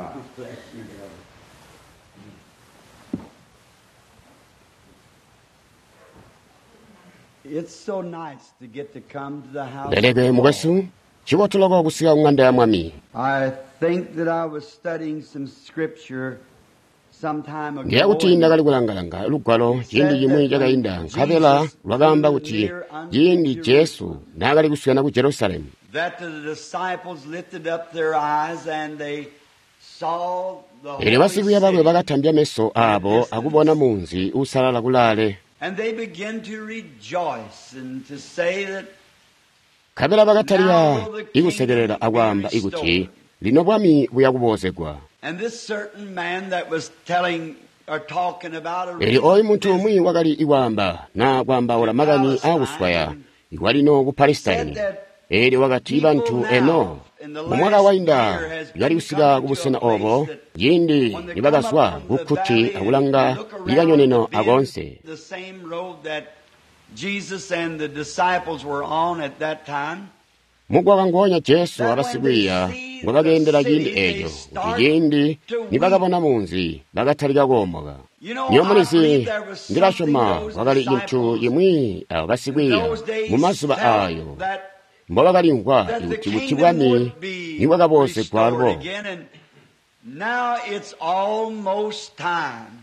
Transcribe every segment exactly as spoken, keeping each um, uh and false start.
Bless you, brother. It's so nice to get to come to the house. of Leleke the Lord. mukwesu, cibotu loko kusika ku ya Mwami. I think that I was studying some scripture some time ago. Ndiye kuti ndakali kulanga-langa lugwalo ciindi cimwi cakainda nkabela lwakaamba kuti ciindi Jesu naakali kuswena ku Jerusalemu That the disciples lifted up their eyes and they saw the eelyo holy basikwiiya bakwe city, bakatambya meso aabo akubona munzi uusalala kulaale and they began to rejoice and to say that nkabela bakatalika ikusekelela akwaamba ikuti lino bwami buya kuboozegwa. And this certain man that was telling or talking about a Eelyo ooyu muntu umwi wakali ikwaamba naa kwaambaula makani aakuswaya ikwalino ku Palesitaini. Eelyo wakati bantu eno mumwaka wainda bakali kusika kubusena obo ciindi nibakazwa kukkuti akulanga ikanyoneno akoonse. The same road that Jesus and the disciples were on at that time. Mugwagwa ngoonya Jesu abasikwiiya ngobakeendela ciindi eeco kuti ciindi nibakabona munzi bakatalika koomoka. Nyo mulizi ndilasyoma kwakali cintu cimwi abo basikwiiya Those days mu mazuba felt aayo that mbobakalimvwa that the kuti kuti kingdom bwami would be nibwakaboozegwa restored alubo. again, and now it's almost time.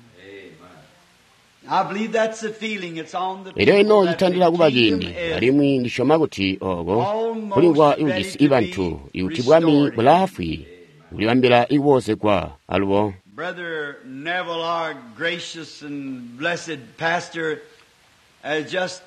I believe that's the feeling. It's on the Elyo ino people that citandila the kuba kingdom ciindi is alimwi ndisyoma kuti ooko kulimvwa ikujisi ibantu ikuti bwami bulaafwi kulibambila ikuboozegwa alubo. Brother Neville, our gracious and blessed pastor, has just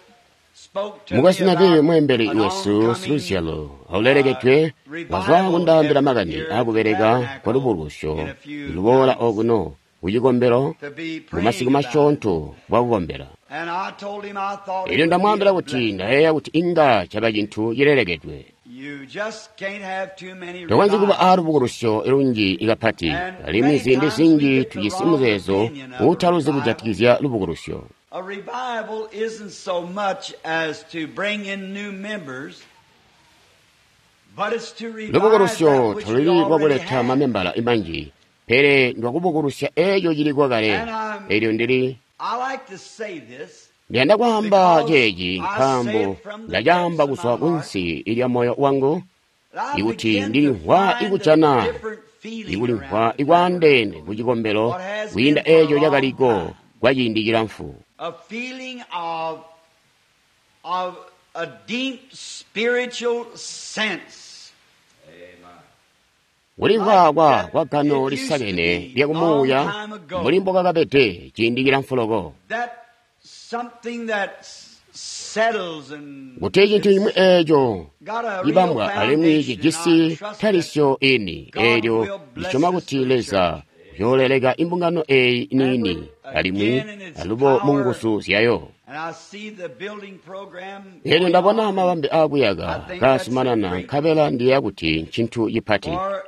spoke to me Mukwesu Neville about mweembeli an wesu oncoming siluzyalo aulelekedwe wazwa kundaambila makani aakubeleka kwa lubulusyo luboola okuno kucikombelo to be mu masiku praying about. masyoonto bwakukombela. And I told him I thought it Elyo would be ndamwaambila a kuti blessing. ndayeeya kuti inga caba cintu cilelekedwe. You just can't have too many Tokonzyi kuba revivals. aalubukulusyo lunji kapati alimwi ziindi zinji tujisi muzeezo uutaluzi kujatikizya lubukulusyo. A revival isn't so much as to bring in new members, but it's to revive Lubukulusyo that which we taluli already lwakuleta have. mamembala manji pele ndwakubukulusya eeco ciliko kale. Eelyo ndili I like to say this ndiyanda kwaamba ceeci nkaambo ndacaamba kuzwa kunsi lya moyo wangu that I ikuti begin to ndilimvwa find a ikujana different feeling ikulimvwa around the ikwaandeene tabernacle. ku cikombelo What has kwiinda been for a eeco long cakaliko time. kwa ciindi cilamfu. A feeling of, of a deep spiritual sense. Kulimvwa kwa kwa gano lisakene lyakumuuya mbuli mbokakabede ciindi cilamfu loko. That something that s- settles and Kuti cintu cimwi eeco got a real cibambwa alimwi foundation, and I cijisi trust that talisyo ini eelyo ndisyoma kuti Leza uyooleleka imbungano eeyi niini alimwi alubo mu nguzu zyayo. And I see the building program Eelyo going ndabona on, mabambe aakuyaka kaasumanana nkabela ndiyeeya kuti ncintu cipati for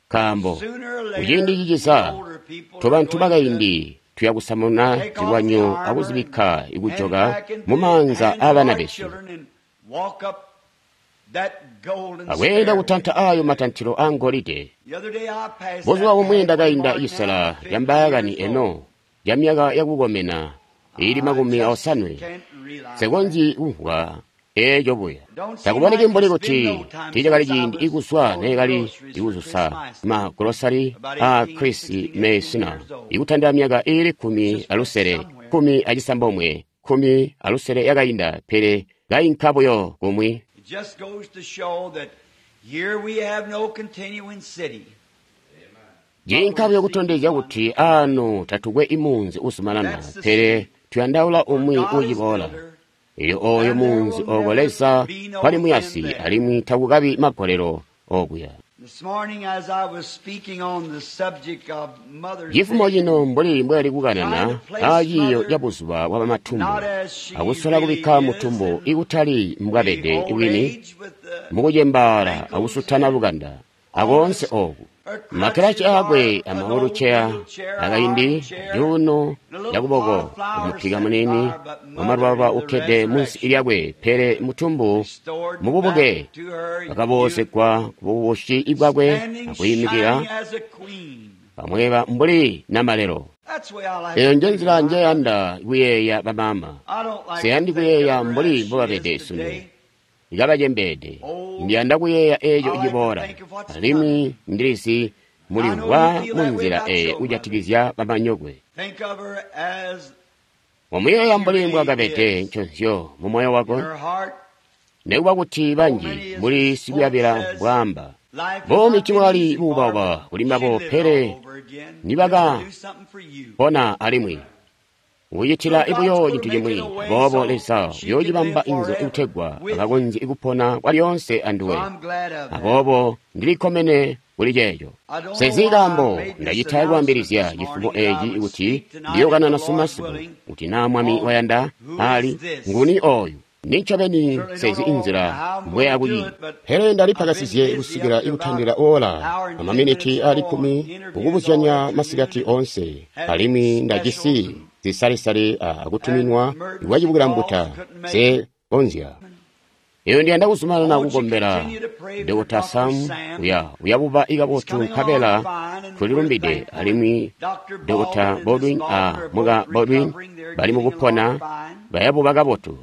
nkaambo sooner or kuciindi later, ciciza the older people are tobantu going bakaindi tuya kusamuna to take off the zilwanyo armor akuzibikka and ikujoka hand back into mu the maanza hands of aabana our besu children and walk up that golden akweenda stairway. kutanta aayo matantilo aangolide. The other day I passed Buzuba that bumwi halfway ndakainda mark now, cisela fifty ca mbaakani years eno old. ca myaka yakukomena iili I makumi just osanwe can't realize nsekonzyi kumvwa eeco buya. Don't seem Takuboneki like mbuli it's been kuti no time tiicakali since I ciindi was ikuzwa going neekali groceries for ikuzusa Chris magolosari About a eighteen, Chris sixteen, eighteen Meisner years old. ikutandila myaka iili kkumi Just alusele somewhere. kkumi acisambomwe kkumi alusele yakainda pele kainka buyo kumwi. It just goes to show that here we have no continuing city. Ciinka buyo kutondezya kuti aano tatukwe imunzi uzumanana pele tuyandaula umwi God is uciboola. builder, Eelyo ooyo munzi ooko Leza kwali muyasi alimwi takukabi magolelo okuya. This morning as I was speaking on the subject of Mother's Cifumo Day, cino mbuli mbwali kukanana aaciiyo ca buzuba bwa bamatumbu not as she akusola really kubikka is mutumbu in ikutali the mbwabede old wini age with the mukucembaala akusutana lukanda akoonse ooku. Makkirachi aakwe amawuluceya akaindi cuuno cakuboko umupika muniini wamalwalwa ukkede munsi lyakwe, pele mutumbu mububuke bakaboozegwa kububushi bwakwe akuyimikila pamweba mbuli namalelo. Eyo nje nzila njeyanda kuyeeya bamama. Siyandi kuyeeya mbuli mbobabede sunu ikabacembeede. Ndiyanda kuyeeya eeco ciboola, alimwi ndilizi mulimvwa munzila eyo kujatikizya bamanyokwe. Wamuyeeya mbuli mbwakabede nconzyo mu moyo wako, nekuba kuti banji mbuli sikuyabila mbwaamba. Buumi tibwali buubauba kuli mbabo, pele nibakapona alimwi kucitila buyo cintu cimwi. Aboobo Leza uyoocibamba inzila kutegwa akakonzye kupona kwalyoonse anduwe. Aboobo ndilikkomene kuli ceeco. Sezi kaambo ndacita kwaambilizya cifumo eeci kuti ndiyokanana sumasiku, kuti naa Mwami wayanda ali nguni oyu. Nincobeni sezi inzila mbweya kuyi. Pele ndalipakasizye kusikila ikutandila ola amaminiti ali kkumi kukubuzyanya masikati oonse, alimwi ndajisi zisalisali akutuminwa iwacibukilambuta se konzya. Eyo ndiyanda kuzumanana kukombela Dokota Sam uya uyabuba ikabotu nkabela tulilumbide, alimwi Dokota Baldwin a muka Baldwin bali mukupona bayabuba kabotu.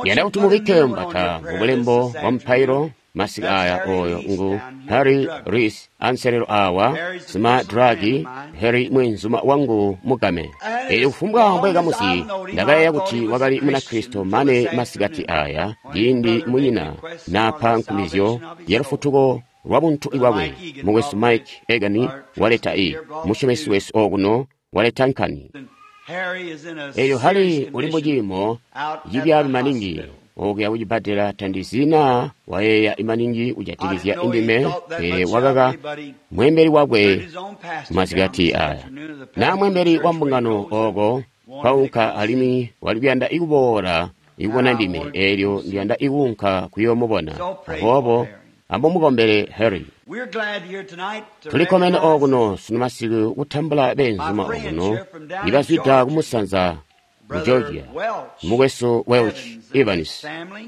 Ndiyanda kuti mubikke mbata mubulembo bwa mupailo masiku aya. Oyo ngu Harry Reis anselelo awa sima dragi Harry mwenzuma wangu mugame. Elyo kufumbwa mbwekamuzi ndakayeeya kuti wakali Munakristo mane masikati aya ciindi munyina naapa nkumizyo ya lufutuko lwa buntu bwakwe. Mukwesu Mike Egan waleta i musyomesi wesu okuno waleta nkani. Elyo Harry uli muciimo cibyaabi maningi okuya kucibbadela. Tandizi naa wayeeya maningi kujatikizya indime, pele wakaka mweembeli wakwe masikati aya. Naa mweembeli wa mbungano oko kwaunka, alimwi wali kuyanda ikuboola ikubona ndime, eelyo ndiyanda ikuunka kuyoomubona. Aboobo amumukombele Harry. Tulikkomene okuno sunu masiku kutambula beenzuma okuno ibazwida kumusanza mu Georgia, mukwesu Welch Evans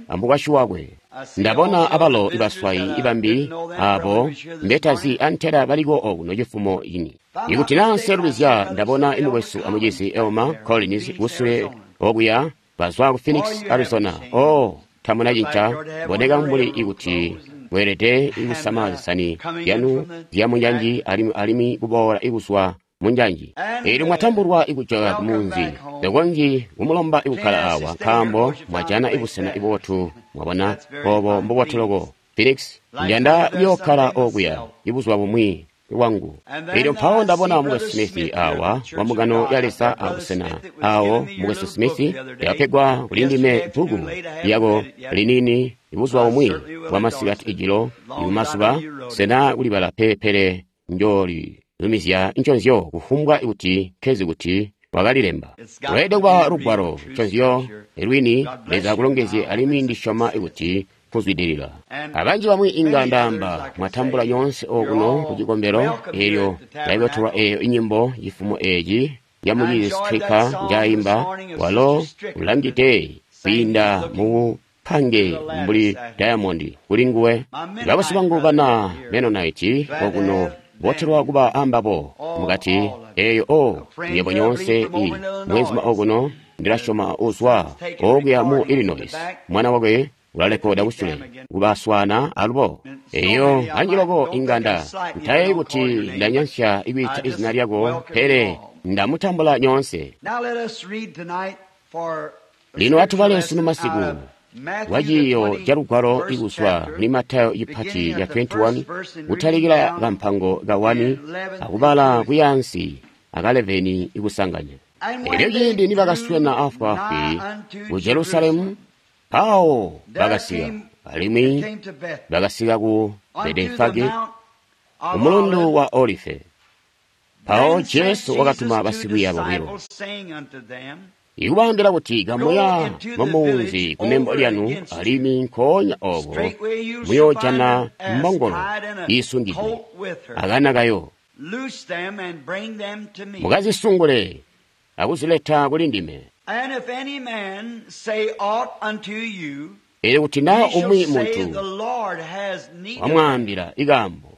amukwasyi wakwe. Ndabona abalo ibaswayi ibambi abo mbetazi antela baliko okuno cifumo cini. Ikuti naa nselubizya, ndabona imukwesu amucizi Elma Collins kusule okuya bazwa ku Phoenix, Arizona. Oh, tamuna cinca, boneka mbuli ikuti mweelede kusama zisani zyanu zya munjanji alimwi alimwi kuboola ikuzwa munjanji. Eelyo mwatambulwa ikujoka kumunzi, tokonzyi kumulomba ikukkala awa nkaambo mwajana ibusena ibotu. Mwabona obo mbubotu loko. Phoenix, ndiyanda kuyookkala okuya ibuzuba bumwi bwangu. Eelyo mpawo ndabona mukwesu Smith awa wa mbungano ya Leza abusena awo. Mukwesu Smith yakapegwa kuli ndime bbuku lyako liniini ibuzuba bumwi bwa masikati ijilo ikumazuba. Sena kulibala pe, pele njooli lumizya nconzyo kufumbwa kuti nkezi kuti wakalilemba. Lweelede kuba lugwalo nconzyo lwini. Leza akulongezye, alimwi ndisyoma kuti kuzwidilila. Abanji bamwi inga ndaamba mwatambula nyoonse okuno ku cikombelo. Eelyo ndaikotolwa eyo inyimbo cifumo eci ya mucizi Stricker njaayimba, walo ulangide kwiinda mu pange mbuli diamond kuli nguwe. Babusi bangu bana Mennonite okuno botelwa kuba ambabo mukati eyo. O nyebo nyoonse i mwenzuma okuno ndilasyoma uzwa okuya mu Illinois, mwana wakwe ulalekoda kusule kubaswana alubo. Eyo anji loko inga nda ntayeeyi kuti ndanyansya ikwiita izina lyako, pele ndamutambula nyoonse. Lino atubale sunu masiku wa ciiyo ca lugwalo ikuzwa muli Matayo cipati ca makumi aali makumi abili alimwi, kutalikila kampango ka wani akubala kuyaansi aka eleveni ikusanganya. Elyo ciindi nibakaswena afwaafwi ku Jerusalemu, mpawo bakasika, alimwi bakasika ku Betefage ku mulundu wa Olife. Mpawo Jesu wakatuma basikwiiya bobilo, ikubaambila kuti, kamuya mumunzi kunembo lyanu, alimwi nkoonya ooko muyoojana mbongolo iisungidwe akana kayo. Loose them and bring them to me. Mukazisungule akuzileta kuli ndime. And if any man say aught unto you, Elyo kuti naa ye shall umwi say, muntu The Lord has need of them. wamwaambila ikaambo,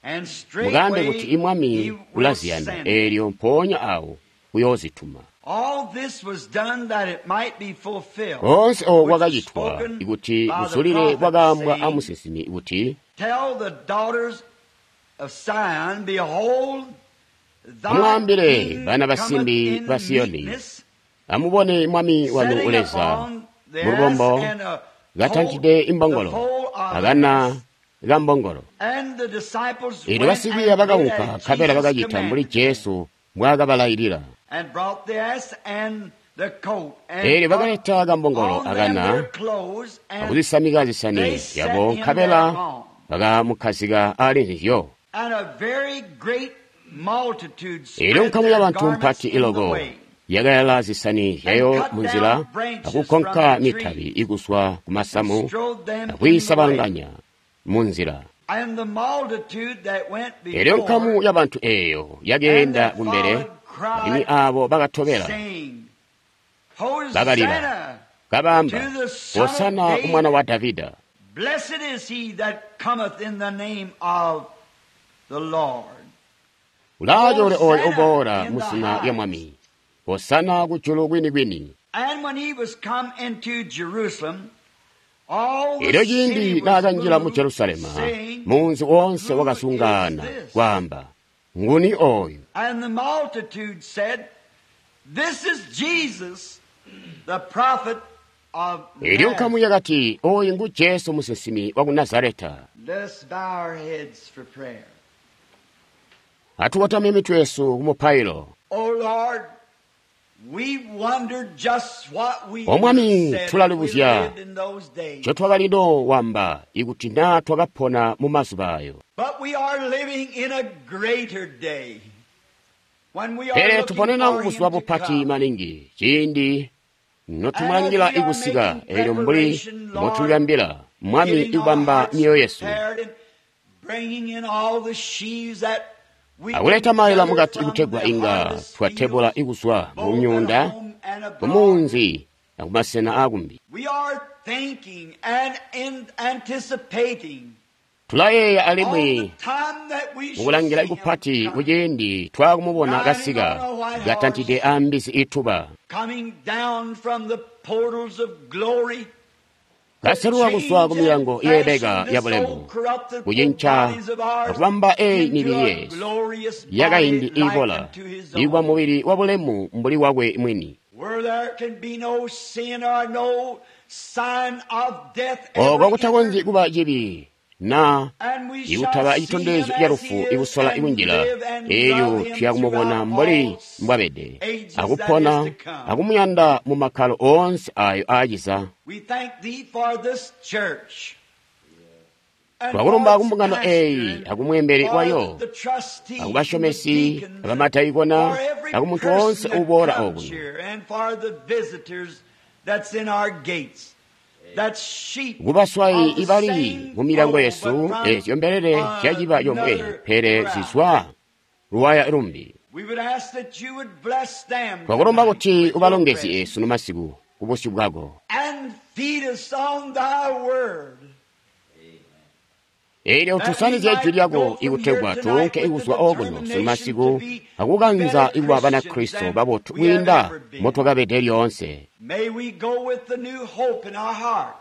And mukaambe straightway kuti imwami he will ulaziyanda, send. eelyo mpoonya awo uyoozituma. All this was done that it might be fulfilled. Koonse ooko which was kwakacitwa spoken ikuti by the kuzulile prophet, kwakaambwa saying, amusinsimi kuti, Tell the daughters of Zion, behold, thy Amwaambile king bana cometh basimbi in ba Siyoni, meekness, amubone mwami wanu setting uleza upon the mulubombo ass and a katantide colt, imbongolo the foal of akana ass. kambongolo. And the disciples Eelyo went basikwiiya and did bakaunka as nkabela Jesus bakacita mbuli commanded them, Jesu mbwaakabalailila. and brought the ass and the colt, and Eelyo put bakaleta kambongolo on them akana their clothes, and akuzisamika zisani they set zyabo him nkabela thereupon. bakamukhazika ali nzizyo. And a very great multitude Eelyo spread nkamu their y'abantu garments mpati in the iloko way, yakayala zisani and zyayo cut mu nzila down branches from akukonka the mitabi trees, ikuswa ku and masamu strode them in the way. akuyisabanganya mu nzila. And the multitude that went Eelyo nkamu before y'abantu eeyo and yakeenda that kumbele followed alimwi cried, aabo bakatobela saying, bakalila Hosanna kabaamba, to the Son of Hosana ku mwana David. wa Davida. Blessed is he that cometh in the name of the Lord. Ulaachoole oyo Hosanna uboola in mu the zina lya Mwami. highest. Hosana kujulu kwinikwini. And when he was come into Jerusalem, all the Elyo city ciindi was naakanjila mu moved, Jerusalema, saying, munzi wonse Who is wakazungaana this? kwaamba, nguni oyu? And the multitude said, This is Jesus, the prophet of Elyo nkamu Nazareth. yakati, oyu ngu Jesu musinsimi wa ku Nazareta. Let us bow our heads for prayer. Atukotamye mitwe yesu ku mupailo. O Lord, we wondered just what we O would have Mwami, said if we tulalibuzya lived in those days. ncotwakalino wamba ikuti naa twakapona mu mazuba ayo. But we are living in a greater day when we are Pele looking tuponena for ku buzuba Him to bupati come. maningi ciindi And as notumulangila we are ikusika making eelyo mbuli preparation, Lord, mbotulibambila Mwami getting our ikubamba hearts myoyo yesu prepared and bringing in all the sheaves that we can akuleta maila gather mukati from kutegwa the inga harvest twatebula fields, ikuzwa mu both at myuunda home and ku abroad. munzi na kumasena akumbi. We are thinking and in anticipating Tulayeeya all alimwi the time that we shall mukulangila see him ikupati come, kuciindi twakumubona riding kasika on a white katantide horse, ambizi ituba coming down from the portals of glory to kaseluka kuzwa change ku and milango yeebeka fashion ya this bulemu old corruptible kucinca bodies of ours akubamba eyi into mibili a yesu glorious body yakaindi like ibola unto his ikuba own, mubili wa bulemu mbuli wakwe mwini. where there can be no sin or no sign of death Oko ever kutakonzyi enter, kuba cibi na and we shall ikutaba see him citondezyo ca as he lufu is ikusola and ikunjila live and eelyo love him tuya kumubona throughout mbuli all mbwabede ages that is akupona to come. akumuyanda mu makkalo oonse ayo aaciza. We thank thee for this church and for Twakulumba its kumbungano pastor eeyi and akumweembeli for wayo the trustees and the akubashomesi deacons, abamadaikona for every akumuntu woonse person that uboola comes okuno. here and for the visitors that's in our gates, that's sheep Kubaswayi of the ibali same mu milango fold, yesu but from eezyo mbelele zyaciba yomwe another pele crowd. zizwa luwaya lumbi. We would ask that you would bless them Twakulomba tonight kuti with your ubalongezye presence sunu masiku ku busyu bwako. and feed us on thy word, Eelyo that we tusanizye ijwi might lyako go from here ikutegwa tonight tuunke with the ikuzwa okuno sunu determination to masiku be akukanza better ikuba Christians Banakristo than babotu we have kwiinda ever been. motwakabede lyoonse. May we go with the new hope in our heart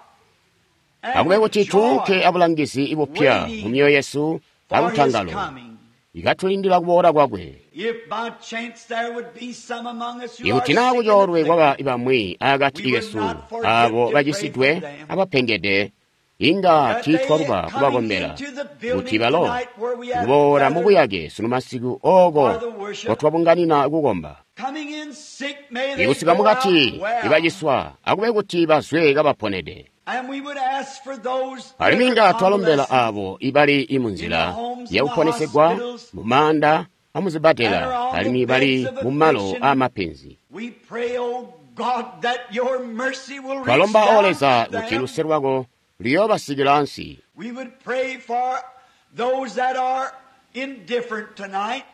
and Akube with kuti tuunke joy, abulangizi ibupya mu waiting myoyo yesu for his akutangalo coming. ikatulindila kuboola kwakwe. If by chance there would be some among us who are Ikuti sick naa and kucoolwe kwaba afflicted, ibamwi akati we would kesu not forget aabo to pray for bacisidwe them, abapengede inga that they tiitwaluba coming kubakombela into the kuti building balo tonight where we have kuboola mu gathered buyake sunu masiku oko for the worship, kotwabunganina kukomba. coming in sick, may they Ikusika go out mukati well. ibaciswa akube kuti bazwe kabaponede. And we would ask for those that Alimwi are inga twalombela convalescent abo ibali in the munzila homes and the yakuponesegwa hospitals mu maanda amuzibadela and are on the alimwi bali beds of mu malo affliction. aamapenzi. We pray, O God, that your mercy will reach Twalomba o down Leza to kuti them. luse lwako luyoobasikila ansi. We would pray for those that are indifferent tonight.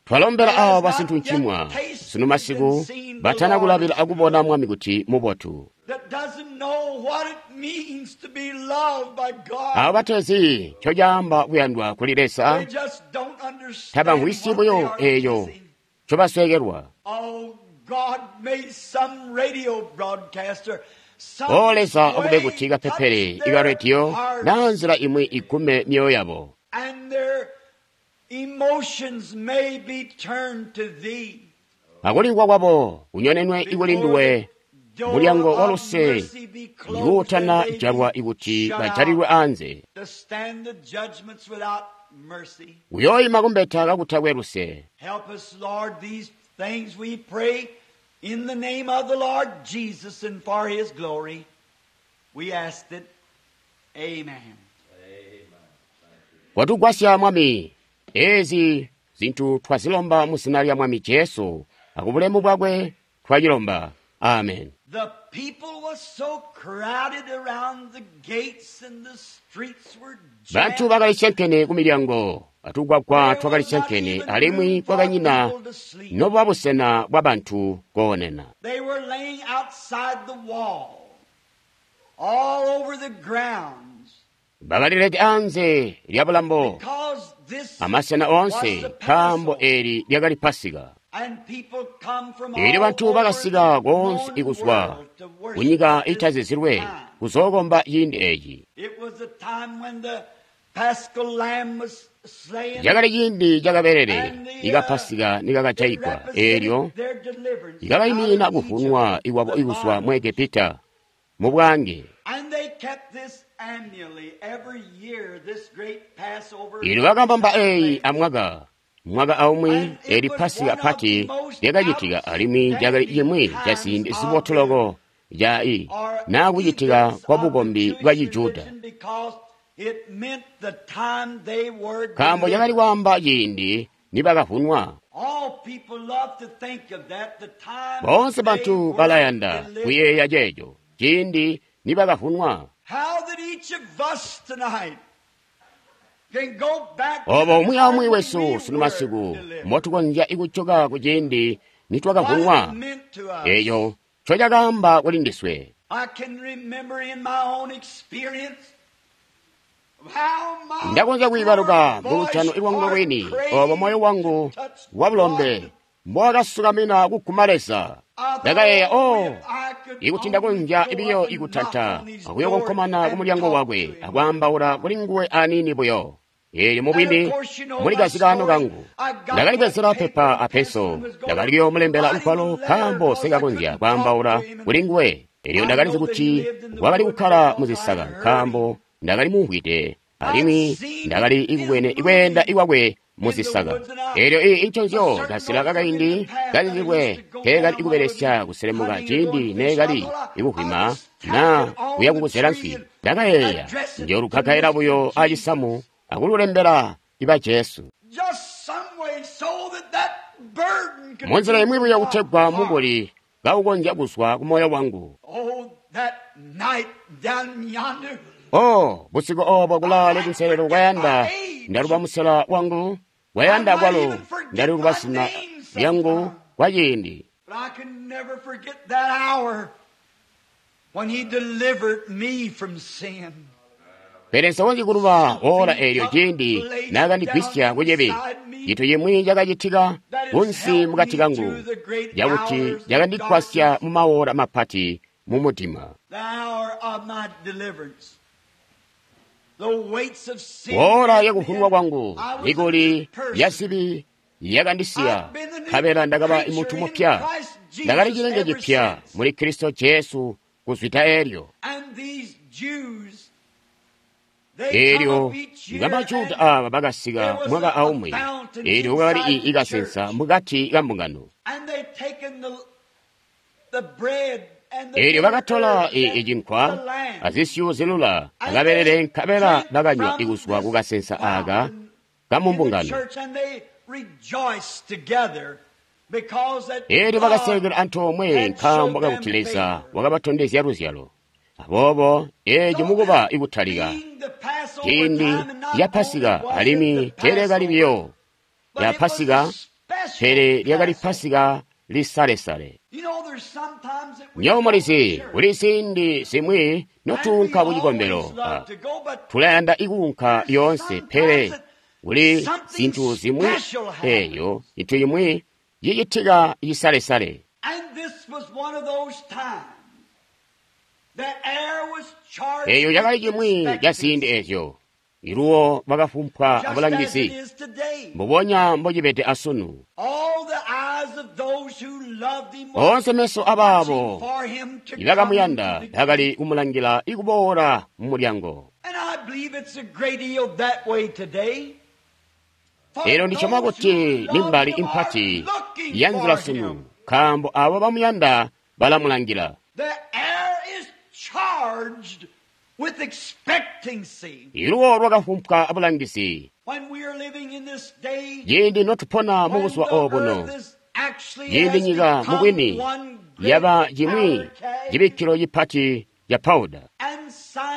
Twalombela aabo basintuncimwa sunu masiku batana kulabila akubona Mwami kuti mubotu. That doesn't know what it means to be loved by God. Aabo batezi ncocaamba kuyandwa kuli Leza They just don't understand tabamvwisyi what they buyo are eeyo missing. ncobasweekelwa. Oh God, may some radio broadcaster some O Leza akube way kuti kapepele touch ika their rediyo hearts naa nzila imwi igume myoyo yabo and their emotions may be turned to thee. akulimvwa kwabo kunyonenwe ikuli nduwe Door mulyango wa of luse mercy be closed ikuutana and they be jalwa ikuti shut bajalilwe out anze to stand the judgments without mercy. kuyoyima kumbeta kakutakwe luse. Help us, Lord, these things we pray in the name of the Lord Jesus and for his glory. We ask it. Amen. Watugwasya Mwami, ezi zinthu twazilomba mu zina lya Mwami Jesu akubulemu bwakwe twachilomba. Amen. The people was so crowded around the gates and the streets were Banthu jammed. bakali syenkene ku milyango, atugwagwa There twakali was not syenkene even alimwi room for kwakanyina people to sleep. nobuba busena bwa banthu koonena. They were laying outside the wall, all over the grounds, Bakalilete anze lya bulambo because this amasena was onse the nkaambo Passover. eli lyakali Pasika. And people come from Eelyo all banthu over bakasika the konse known ikuzwa world to worship kunyika at this itazizilwe time. kuzookomba ciindi eci. It was the time when the Paschal lamb was slain. Cakali ciindi cakaberere and the, ika uh, Pasika it nikakajayigwa represented eelyo their deliverance likakayimina out of kuvunwa Egypt, ikwabo the ikuzwa mu bondage. Egepita mu bwange. And they kept this annually, every year, this great Passover. Eelyo bakabamba eyi amwaka mwaka aumwi And it eli was Pasika one of pati the most lyakacitika alimwi lyakali cimwi ca ziindi zibotoloko ca i or naa kucitika events kwa of the bukombi Jewish bwa Chijuda. religion because it meant the time they were Nkaambo cakali delivered. kwaamba ciindi nibakavunwa. All people love to think of that, the time Boonse they banthu were balayanda delivered. kuyeeya ceeco ciindi nibakavunwa. How that each of us tonight can go back to Obo the umwi time aumwi when wesu we sunu were masiku delivered. motukonzya ikuchoka ku ciindi What nitwakavunwa it meant to us. eeyo ncocakaamba kuli ndiswe. I can remember in my own experience how my Ndakonzya kuyibaluka poor mu lutano boyish ilwangu heart lwini craved obo moyo wangu to touch wa bulombe God. mbowakasukamina kuguma Leza. I Ndakayeeya thought, o if I could ikuti only ndakonzya go ibiyo up and knock ikutanta on his akuyo door konkomana ku and mulyango talk wakwe to him. akwaambaula kuli nguwe aniini buyo. Eelyo And mubwini of course, you know muli my kazikaano story. kangu I got that ndakalibwezera paper pepa and a pencil peso and was going to ndakalikuyomulembela write him a lugwalo letter nkaambo because I sikakonzya couldn't talk kwaambaula to him. And kuli nguwe. Eelyo I ndakalizi know that he kuti lived in the wakali woods kukkala because mu I zisaka heard him. nkaambo ndakali mumvwide I'd alimwi seen ndakali his ikubwene ikweenda moving ikwakwe mu in the zisaka. woods, and I, Eelyo iyi a inconzyo certain kasila old kakaindi familiar path that I used kazizilwe to go keekali down when I would ikubelesya be kuselemuka hunting and going ciindi fishing. I neekali thought I, I'd ikuhwima just tack naa it on kuya the kukusela tree nswi. and Ndakayeeya address it to njolukakaila Mister buyo Jesus. acisamu akululembela iba Jesu. Just some way so that that burden could Munzila leave imwi buyo my kutegwa heart. mukuli kaukonzya kuzwa ku moyo wangu. Oh, that night down yonder, Oh, busiku obo I kulaale might kunselelo forget my kwayanda age. ndaluba musela wangu I kwayanda might kwalo even forget ndaluba my zina name lyangu sometime. kwa ciindi. But I can never forget that hour when he delivered me from sin. Pele nsokonzyi kuluba ora Something eelyo took ciindi place naakandigwisya down kucibi inside me cintu cimwi cakacitika that has kunsi helped mukati me kangu through the great cakuti hours of cakandigwasya darkness, mu maora mapati mu mudima. the hour of my deliverance. The weights of sin Ora left me, yakuvunwa and kwangu I was a new mikuli ya person. zibi yakandisiya I've been the new nkabela ndakaba creature munthu in mupya Christ ndakali Jesus chilenge ever chipya since. muli Kristo Jesu kuzwita elyo. And these Jews, they come Eelyo up each year ngamajuda and aba bakasika there was mwaka a, a aumwi fountain eelyo kukakali inside the ikasensa church. mukati ka mbungano. And they taken the, the bread and the Eelyo bitter bakatola herbs i- and icinkwa the lamb. azisyu zilula And akabelele they nkabela drank bakanywa from ikuzwa this kukasensa aka fountain in the kamumbungano. church, and they rejoiced together because that Eelyo God bakasekela antoomwe had nkaambo showed kakuti them Leza favor. wakabatondezya luzyalo. Aboobo eeci mukuba ikutalika ciindi ca Pasika, alimwi teelyakali biyo lya Pasika, pele lyakali Pasika lisalesale. Nywebo mulizi, kuli ziindi zimwi notuunka ku cikombelo, tulayanda ikuunka lyoonse, pele kuli zintu zimwi eeyo cintu cimwi cicitika cisalesale. Eeyo cakali cimwi ca ziindi eezyo. Iluwo lwakafumpwa abulangizi, mbubonya mbocibede asunu. Oonse meso abaabo ibakamuyanda bakali kumulangila ikuboola mumulyango. Eelyo ndisyoma kuti nimbali impati ya nzila sunu, nkaambo aabo bamuyanda balamulangila. Iluwo lwakafumpwa abulangizi. Ciindi notupona mubuzuba obuno, ciindi nyika mubwini yaba cimwi cibikkilo cipati ca pawuda.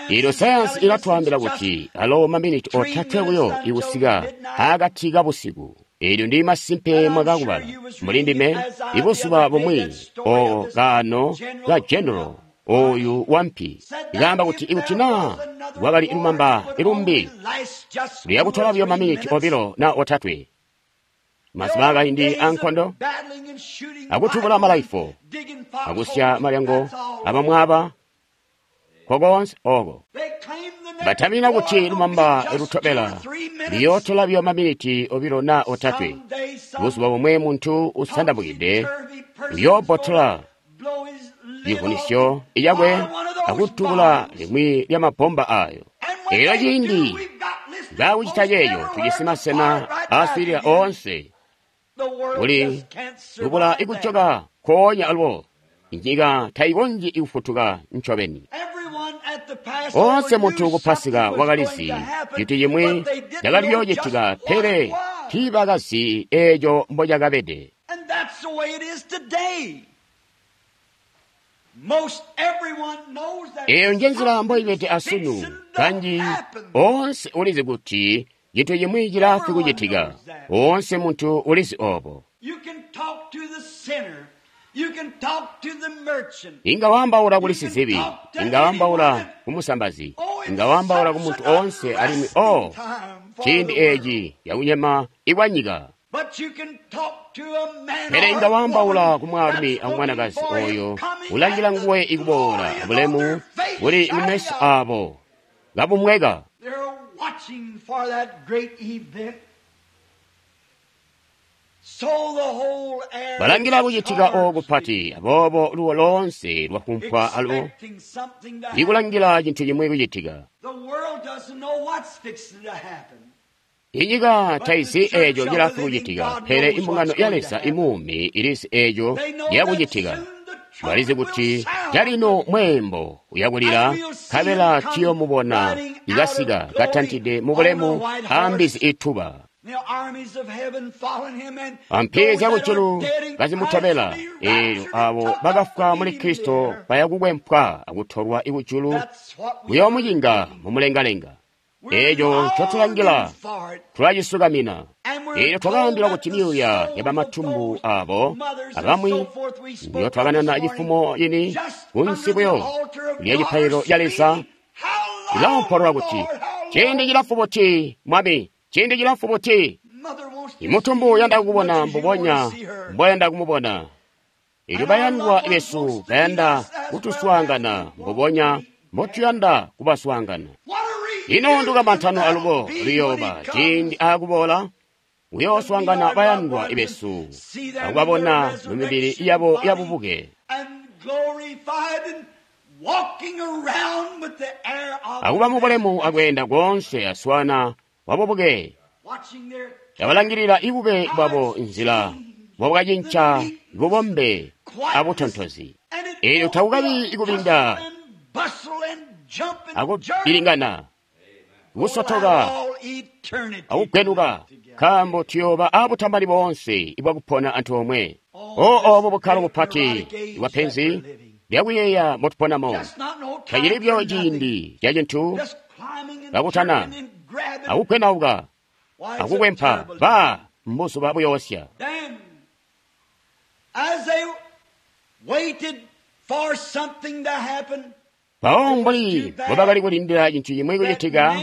Eelyo sayansi ilatwaambila kuti alo maminiti otatwe buyo ikusika akati kabusiku. Eelyo ndi masimpe mwakakubala mulindime ibuzuba bumwi oo kaano ka general oyu wampi ikaamba kuti ikuti naa lwakali lumamba ilumbi luyakutola buyo maminiti obilo naa otatwe, mazuba akaindi ankondo akutubula malaifo akusya malyango abamwaba kokoonse oko batamina kuti lumamba lutobela liyootola buyo maminiti obilo naa otatwe. Buzuba bumwe muntu usandabukide uyoobbotola civunisyo icakwe akutubula limwi lya mabomba ayo. Eelyo ciindi baakucita ceeco, tujisi masena aaswiilila oonse kuli lubula ikujoka nkoonya alubo. Inyika taikonzyi ikufutuka ncobeni. Oonse muntu ku Pasika wakalizi cintu cimwi cakali kuyoocitika, pele tiibakazi eeco mbocakabede. Eeyo njenzila mboibede asunu. Kanji oonse ulizi kuti cintu cimwi cilaafwi kucitika. Oonse muntu ulizi oobo. Inga waambaula kuli sizibi, inga waambaula kumusambazi, inga waambaula ku muntu oonse, alimwi o ciindi eeci cakunyema ikwanyika. Pele inga waambaula ku mwaalumi akumwanakazi ooyo ulangila nguwe ikuboola, bulemu buli mumeso aabo kabumweka. Balangila kucitika ooku kupati, aboobo luwo loonse lwafumpwa alubo ikulangila cintu cimwi kucitika. Inyika taizi eeco cilaafwi kucitika, pele imbungano ya Leza imuumi ilizi eeco ciyakucitika. Balizi kuti calino mweembo uyakulila, nkabela tuyoomubona ikasika katantide mubulemu ambizi ituba. Ampi zyakujulu kazimutobela, eelyo aabo bakafwa muli Kristo bayakukwempwa akutolwa ikujulu kuyoomucinga mumulengalenga. Eeco ncotulangila tulacisukamina. Eelyo twakaambilwa kuti myuuya yabamatumbu aabo abamwi ndyotwakanana cifumo cini kunsi buyo lya cipaililo ca Leza iloompolola kuti, ciindi cilamfu buti, Mwami, ciindi cilamfu buti. Imutumbu uyanda kukubona mbubonya mboyanda kumubona. Eelyo bayandwa besu bayanda kutuswaangana mbubonya mbotuyanda kubaswaangana. Ino ndukamantano alubo luyooba ciindi aakuboola kuyooswaangana bayandwa besu akubabona mumibili yabo yabubuke, akuba mubulemu akweenda koonse aswaana wabubuke, abalangilila ibube bwabo nzila bwakacinca bubombe abutontozi. Eelyo takukabi ikubinda akubilingana, kusotoka akugwenuka, nkaambo tuyooba abutambali boonse ibwakupona antoomwe. O obo bukkalo bupati bwapenzi lyakuyeeya mbotuponamo. Tacili buyo ciindi ca cintu kakutana akukwenauka akukwempa ba mbuzuba buyoosya. Mpawo mbuli mbobakali kulindila cintu cimwi kucitika,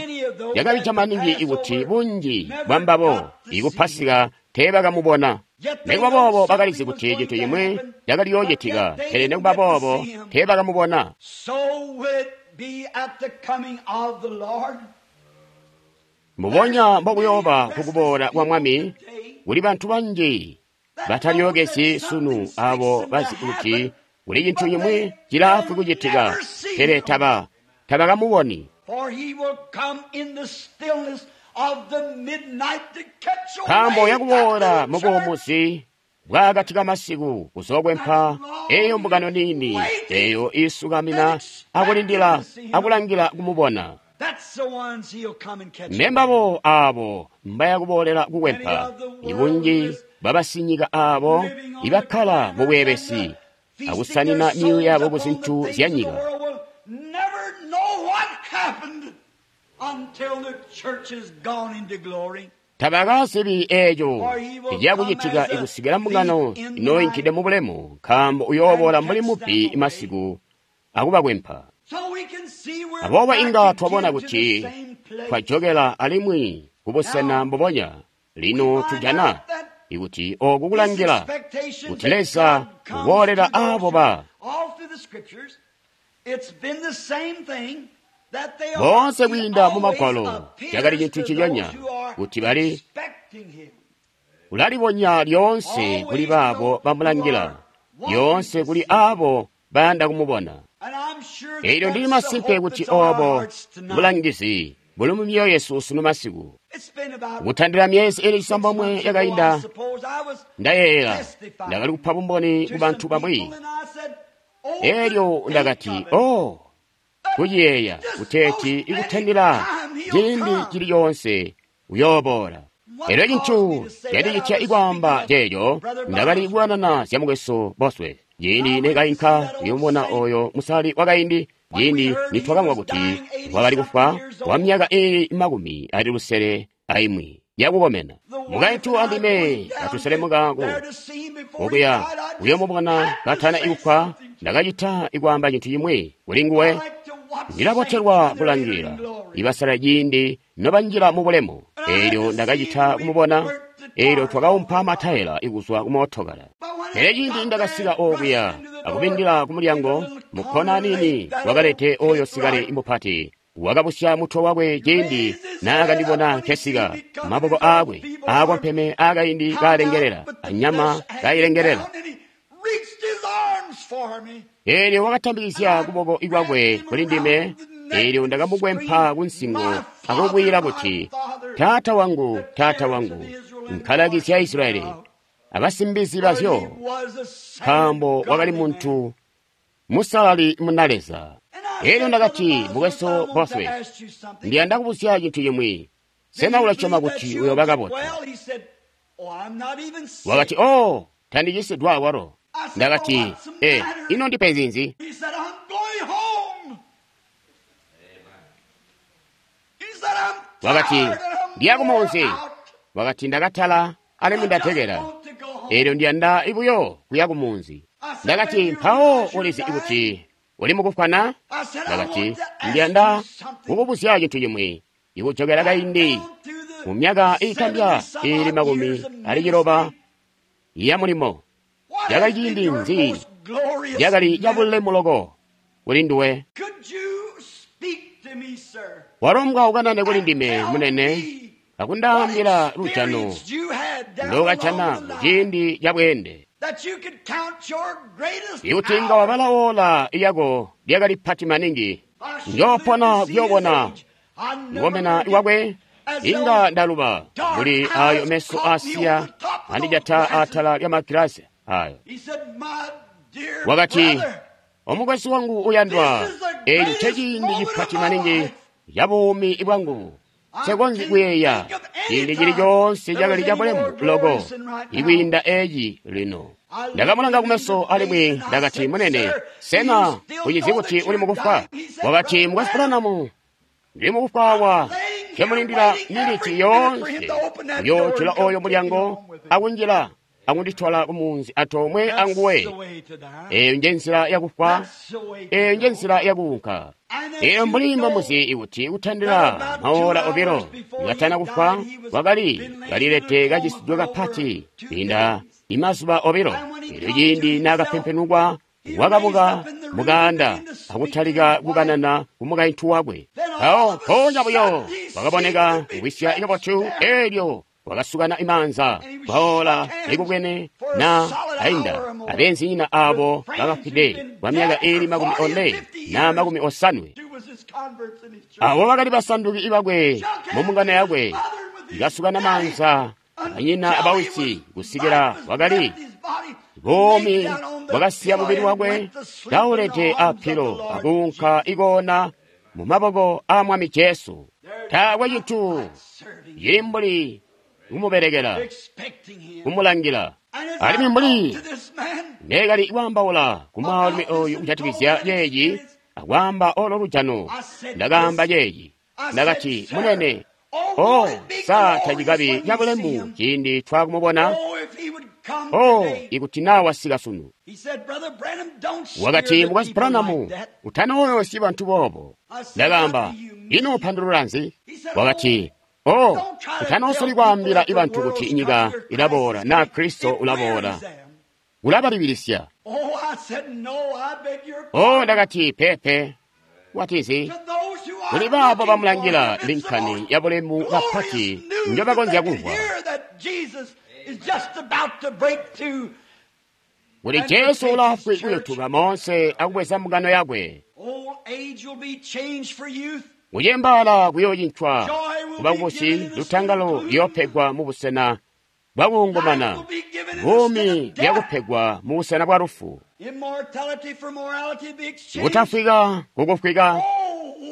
cakabija maningi kuti bunji bwambabo ikupasika teebakamubona. Nikuba boobo bakalizi kuti cintu cimwi cakali yoocitika, pele nikuba boobo teebakamubona. Mbubonya mbokuyooba kukuboola kwa Mwami, kuli bantu banji batalyokezyi sunu abo bazi kuti kuli cintu cimwi cilaafwi kucitika, pele taba tabakamuboni. Nkaambo yakuboola mubuumuzi bwaakati kamasiku kuzokwempa eyo mbungano niini eyo iisukamina akulindila akulangila kumubona. Mbembabo aabo mbayakuboolela kukwempa, ibunji bwabasinyika aabo ibakkala mubweebesi akusanina myoyo yabo ku zintu zya nyika. Tabakazibi eeco ciyakucitika ikusikila mbungano inooyinkide mu bulemu, nkaambo uyooboola mbuli mubbi masiku akubakwempa. Aboobo inga twabona kuti twajokela alimwi kubusena mbubonya. Lino tujana ikuti ooku kulangila kuti Leza uboolela aabo ba boonse kwiinda mu Magwalo cakali cintu ciconya kuti bali ulalibonya lyoonse kuli baabo bamulangila, lyoonse kuli aabo bayanda kumubona. Eelyo ndili masimpe kuti oobo bulangizi buli mu myoyo yesu sunu masiku. Kutandila myezi ili cisambomwe yakainda, ndayeeyela ndakali kupa bumboni ku bantu bamwi. Eelyo ndakati, oh, kuciyeeya kuteeti ikutandila ciindi cili coonse uyooboola. Elyo cintu candicitya ikwaamba ceeco, ndakali kukanana zya mukwesu Bosworth. Ciindi nekainka kuyomubona oyo musali wakaindi, ciindi nitwakamvwa kuti wakali kufwa wa myaka iili makumi ali lusele aimwi yakukomena. Mukaintu andime katuselemuka okuya kuyomubona katana ikufwa, ndakacita ikwaamba cintu cimwi kuli nguwe. Ndilabotelwa kulangila ibasala ciindi nobanjila mu bulemu. Eelyo ndakacita kumubona, eelyo twakaumpa matayela ikuzwa kumootokala. Pele ciindi ndakasika okuya akubindila kumulyango, mukkona niini wakalete oyo sikale mupati wakabusya mutwe wakwe ciindi naakandibona nkesika, maboko aakwe aakompeme aakaindi kaalengelela, anyama kailengelela. Eelyo wakatambikizya kuboko kwakwe kuli ndime, eelyo ndakamukwempa kunsingo akubwila kuti, Taata wangu, taata wangu, nkalaki zya Israyeli abasimbizi bazyo, nkaambo wakali muntu musalali muna Leza. Eelyo ndakati, mukwesu Bosworth, ndiyanda kubuzya cintu cimwi. Sena ulasyoma kuti uyooba kabotu? Wakati, oh, tandicisidwa awalo. Ndakati, eh, ino ndipenzi nzi? Wakati, ndiya kumunzi. Wakati, ndakatala alimwi ndatekela. Eelyo ndiyanda buyo kuya kumunzi. Ndakati, mpawo ulizi kuti uli mukufwa na? Ndakati, ndiyanda kukubuzya cintu cimwi. Ikujokela kaindi mu myaka iitambya iili makumi ali ciloba ya mulimo, cakali ciindi nzi cakali cabulemu loko kuli nduwe? Walombwa ukanane kuli ndime munene akundaambila lujano ndokajana muciindi ca bweende. Ikuti nga wabala ola lyako lyakali pati maningi, njoopona kuyoobona kukomena kwakwe, inga ndaluba kuli ayo meso aasiya andijata atala lya magilasi ayo. Wakati, omukwesu wangu uyandwa, eeci nceciindi cipati maningi ca buumi bwangu. Nsekonzyi kuyeeya ciindi cili coonse cakali cabulemu loko ikwiinda eci lino. Ndakamulanga kumeso alimwi ndakati, munene, sena ucizi kuti uli mukufwa? Wakati, Mukwesu Branham, ndili mukufwa awa, nkemulindila miniti yoonse kuyoojula oyo mulyango akunjila akunditola kumunzi antoomwe anguwe. Eyo nje nzila yakufwa, eyo nje nzila yakuunka. Eyo mbuli mbomuzi kuti kutandila maola obilo katana kufwa, wakali kalilete kacisidwe kapati kwiinda imazuba obilo. Elyo ciindi naakapempenukwa, wakabuka mukaanda akutalika kukanana kumukaintu wakwe. Mpawo mpoonya buyo wakaboneka kuwisya kabotu, elyo wakasukana imaanza kwaola likubwene na ainda abeenzinyina abo bakafwide kwa myaka iili makumi one na makumi osanwe. Abo bakali basanduki bakwe mu mbungano yakwe, ikasukana maanza banyina abawisi kusikila wakali buumi bwakasiya mubili wakwe kaulede apilo akuunka ikoona mu maboko a Mwami Jesu. Taakwe cintu cili mbuli kumubelekela, kumulangila. Alimwi mbuli neekali kwaambaula ku mwaalumi oyu kujatikizya ceeci akwaamba olo lujano, ndakaamba ceeci, ndakati, munene, oh, sa tacikabi cabulemu ciindi twakumubona? Oh, ikuti naa wasika sunu. Wakati, Mukwesu Branham, utanooyoosyi bantu boobo. Ndakaamba, ino upandulula nzi? Wakati, oh, utanoosoli kwaambila ibantu kuti inyika ilaboola naa Kristo ulaboola. Ulabalibilisya. Oh, ndakati, pepe. Watizi, kuli baabo bamulangila linkani yabulemu kapati njobakonzya kumvwa. Kuti Jesu ulaafwi kuyotuka moonse akubweza mbungano yakwe. Kucembaala kuyoocincwa kuba kubusi, lutangalo luyoopegwa mubusena bwakuungumana, buumi buyakupegwa mubusena bwa lufu. Kutafwika kukufwika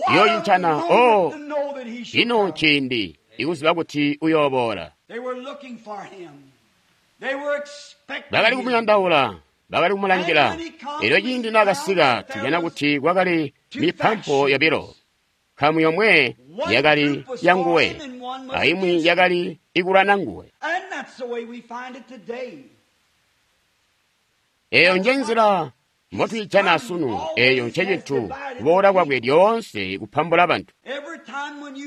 kuyoocincana. Oh, ino nciindi ikuziba kuti uyooboola. Bakali kumuyandaula, bakali kumulangila. Elyo ciindi naakasika, tujana kuti kwakali mipampo yobilo. Nkamu yomwe yakali yanguwe, aimwi yakali ikulwana nguwe. Eyo nje nzila mbotwiijana asunu. Eyo ncecintu kuboola kwakwe lyoonse kupambula bantu.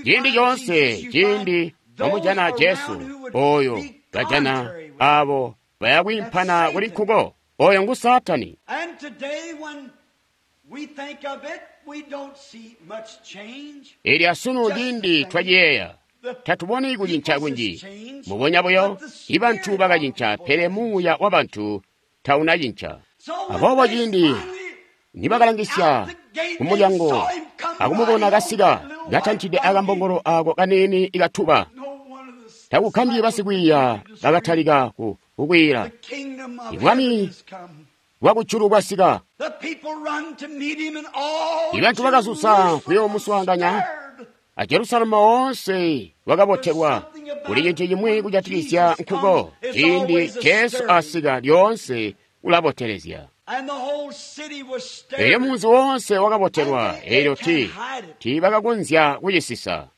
Ciindi coonse ciindi bamujana Jesu, oyo bajana abo bayakwiimpana kuli nkuko. Oyo ngu Saatani. Elyo asunu ciindi twaciyeeya, tatuboni kucinca kunji. Mubonya buyo, ibantu bakacinca, pele muuya wabantu taunacinca. Aboobo ciindi nibakalangisya kumulyango akumubona kasika katantide akambongolo ako kaniini ikatuba, takukambyi basikwiiya bakatalika kukwiila, Ibwami bwakujulu bwasika. Ibantu bakazuza kuyoomuswaanganya, a Jerusalemu woonse wakabotelwa. Kuli cintu cimwi kujatikizya nkuko, ciindi Jesu asika lyoonse ulabotelezya. Elyo munzi woonse wakabotelwa, elyo ti tiibakakonzya kucisisa.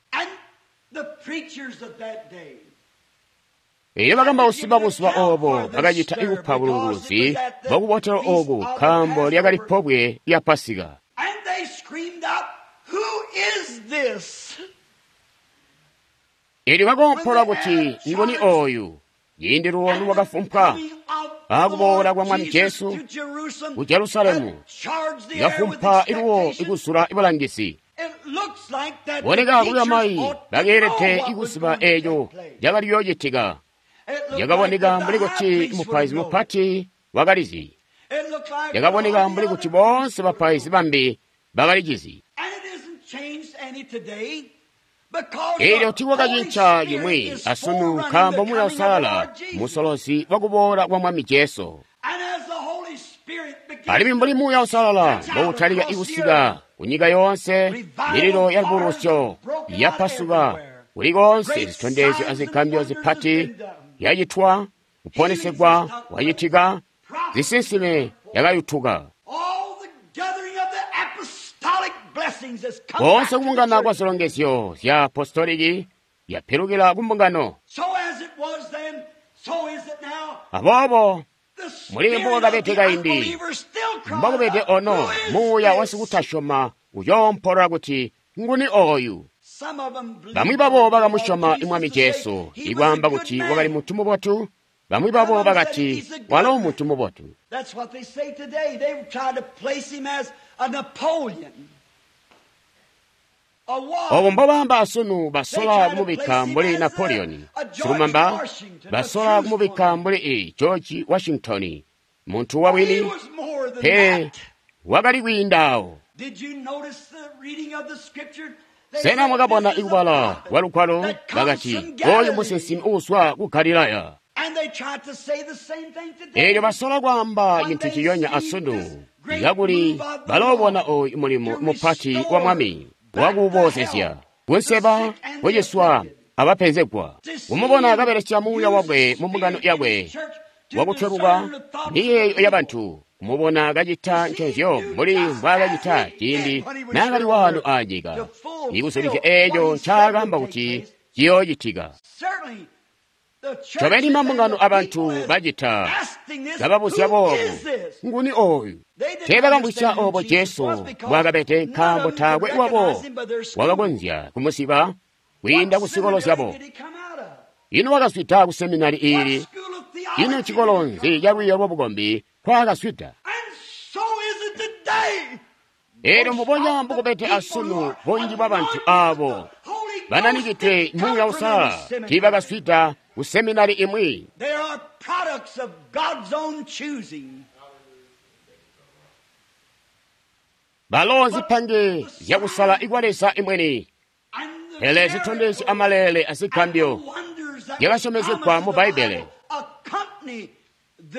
Elyo bakambausi babuzuba obo bakacita ikupa bulunguluzi bwakubotelwa oku, nkaambo lyakali pobwe lya Pasika. Elyo bakoompola kuti, nguni oyu? Ciindi luwo lwakafumpwa akuboola kwa Mwami Jesu ku Jerusalemu, likafumpa iluwo ikuzula ibulangizi. Boneka kuba mayi bakeelede ikuziba eeco cakali kuyoocitika. Cakaboneka mbuli kuti mupaizi mupati wakalizi. Cakaboneka mbuli kuti boonse bapaizi bambi bakalicizi. Elyo tiikwakacinca cimwi asunu, nkaambo Muuya Uusalala musolozi wakuboola kwa Mwami Jesu. Alimwi mbuli Muuya Uusalala mboutalika ikusika kunyika yoonse, mililo ya lubukulusyo yapasuka Kuli koonse zitondezyo azigambyo zipati yacitwa, kuponesegwa kwacitika, zisinsime yakayutuka. Koonse kubungana kwa zilongezyo zya apostoliki yapilukila ku mbungano. Aboobo muli mbokakabede kaindi, mbokubede ono, muuya wasikutasyoma uyoompolola kuti, nguni oyu? Bamwi babo bakamusyoma Mwami Jesu, ikwaamba kuti wakali muntu mubotu. Bamwi babo bakati walo muntu mubotu. Obo mbobaamba asunu, basola kumubikka mbuli Napoleon silumamba, basola kumubikka mbuli i George Washington, muntu wabwini. Pe wakali kwiindaawo. Sena mwakabona ikubala kwa Lugwalo? Bakati, oyu musinsimi uuzwa ku Galilaya. Eelyo basola kwaamba cintu ciyonya asunu, kakuli baloobona oyu mulimo mupati wa Mwami wakuboozezya kunseba, kuciswa abapenzegwa, kumubona kabelesya muuya wakwe mu mbungano yakwe wakutweluka miyeeyo yabantu, kumubona kacita nconzyo mbuli mbwaakacita ciindi naakali waano aanyika, ikuzulizya eeco ncaakaamba kuti ciyoocitika. Ncobeni mambungano abantu bacita kababuzya boobu, nguni oyu? Teebakamvwisya oobo Jesu mbwaakabede, nkaambo taakwe wabo wakakonzya kumuziba kwiinda kuzikolo zyabo. Ino wakazwida ku seminari iili? Ino cikolo nzi calwiiyo lwabukombi nkwaakazwida? Eelyo mbubonya mbukubede asunu, bunji bwabantu aabo bananikidwe Muuya Uusalala tiibakazwida ku seminari imwi. Balo zipange zyakusala ikwa Leza imweni, pele zitondezyo amaleele azigambyo zyakasyomezegwa mu Bbaibbele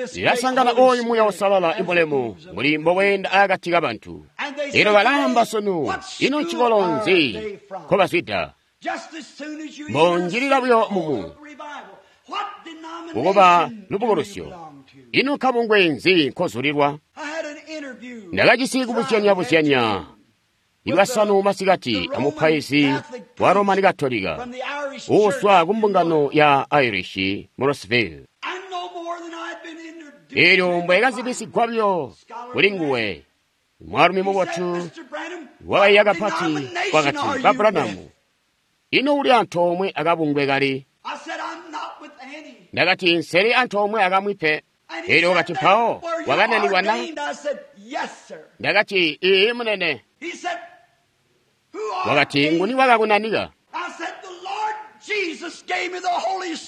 zilasangana oyu Muuya Uusalala imulemu muli mboweenda akati kabantu. Elyo balaamba sunu, ino ncikolo nzi nkobazwida? Mbonjilila buyo mumu kukuba lubukulusyo. Ino kabungwe nzi nkozulilwa? Ndakajisi kubuzyanya-buzyanya Lwasanu masikati amupaizi wa Roman Katolika uuzwa ku mbungano ya Irish mu Rossville. Eelyo mbwekazibisigwa buyo kuli nguwe, mwaalumi mubotu wakaiya kapati, wakati, Ba Branham, ino uli antoomwe akabungwe kali? Ndakati, nseli antoomwe akamwi pe. Eelyo wakati, mpawo wakananikwa na? Ndakati, iiyi munene. Wakati, nguni wakakunanika?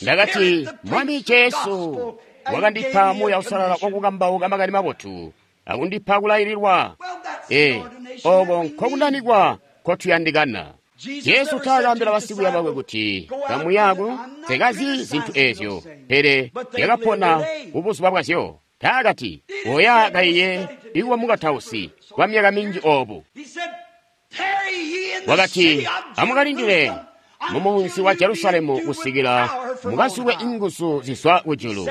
Ndakati, Mwami Jesu wakandipa Muuya Uusalala wakukambauka makani mabotu akundipa kulaililwa. E, oko nkokunanikwa nkotuyandikana. Jesu taakaambila basikwiiya bakwe kuti kamuyaku tekazi zintu eezyo, pele yakapona kubuzuba bwazyo. Taakati, oya kaiye ikuba mukatausi kwa myaka minji obu. Wakati, amukalindile mumunzi wa Jerusalemu kusikila mukazulwe inguzu zizwa kujulu.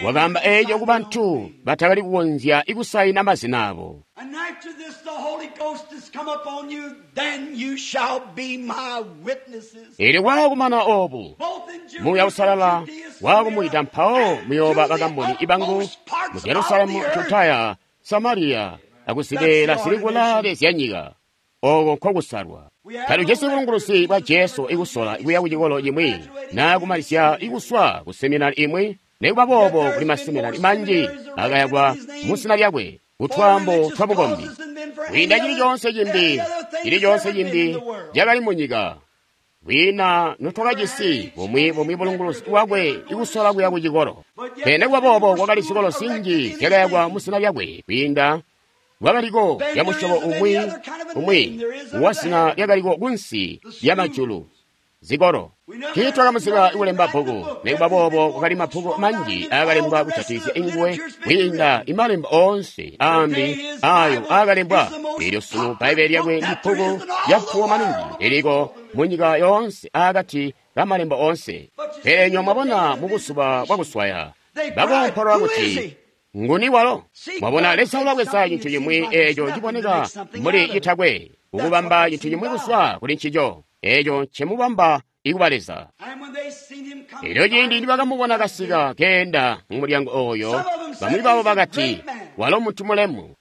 Wakaamba eeco kubantu batakali kukonzya ikusaina mazina abo. Eelyo kwaakumana oobu, Muuya Uusalala waakumwida, mpawo muyooba bakamboni ibangu mu Jerusalemu, Judaya, Samariya akuzibeela zili kulaale zyanyika. Oko nkokusalwa. Talujisi bulunguluzi bwa Jesu ikusola kuya kucikolo cimwi naa kumalizya ikuswa ku seminari imwi. Nikuba boobo kuli maseminari manji akayakwa muzina lyakwe kutwaambo twa bukombi kwiinda cili coonse cimbi. Cili coonse cimbi cakali munyika kwiina notwakajisi bumwi bumwi bulunguluzi bwakwe ikusola kuya kucikolo. Pele nikuba boobo kwakali zikolo zinji zyakayakwa muzina lyakwe kwiinda bwakaliko lyamusyobo umwi umwi wazina lyakaliko kunsi lyamajulu zikolo. Tiitwakamuziba ikulemba bbuku, nikuba boobo kwakali mabbuku manji aakalembwa kujatikizya inguwe kwiinda imalembo oonse aambi aayo aakalembwa. Eelyo sunu Bbaibbele lyakwe ndibbuku lyampuwo maningi liliko mu nyika yoonse aakati ka malembo oonse. Pele nywebo mwabona mu buzuba bwakuswaya, bakoompolola kuti, Nguni walo? Mwabona, Leza ulabweza cintu cimwi eeco ciboneka mbuli citakwe, kukubamba cintu cimwi kuzwa kuli ncico, eeco ncemubamba ikuba Leza. Elyo ciindi nibakamubona kasika keenda mu mulyango oyo, bamwi babo bakati, Walo muntu mulemu.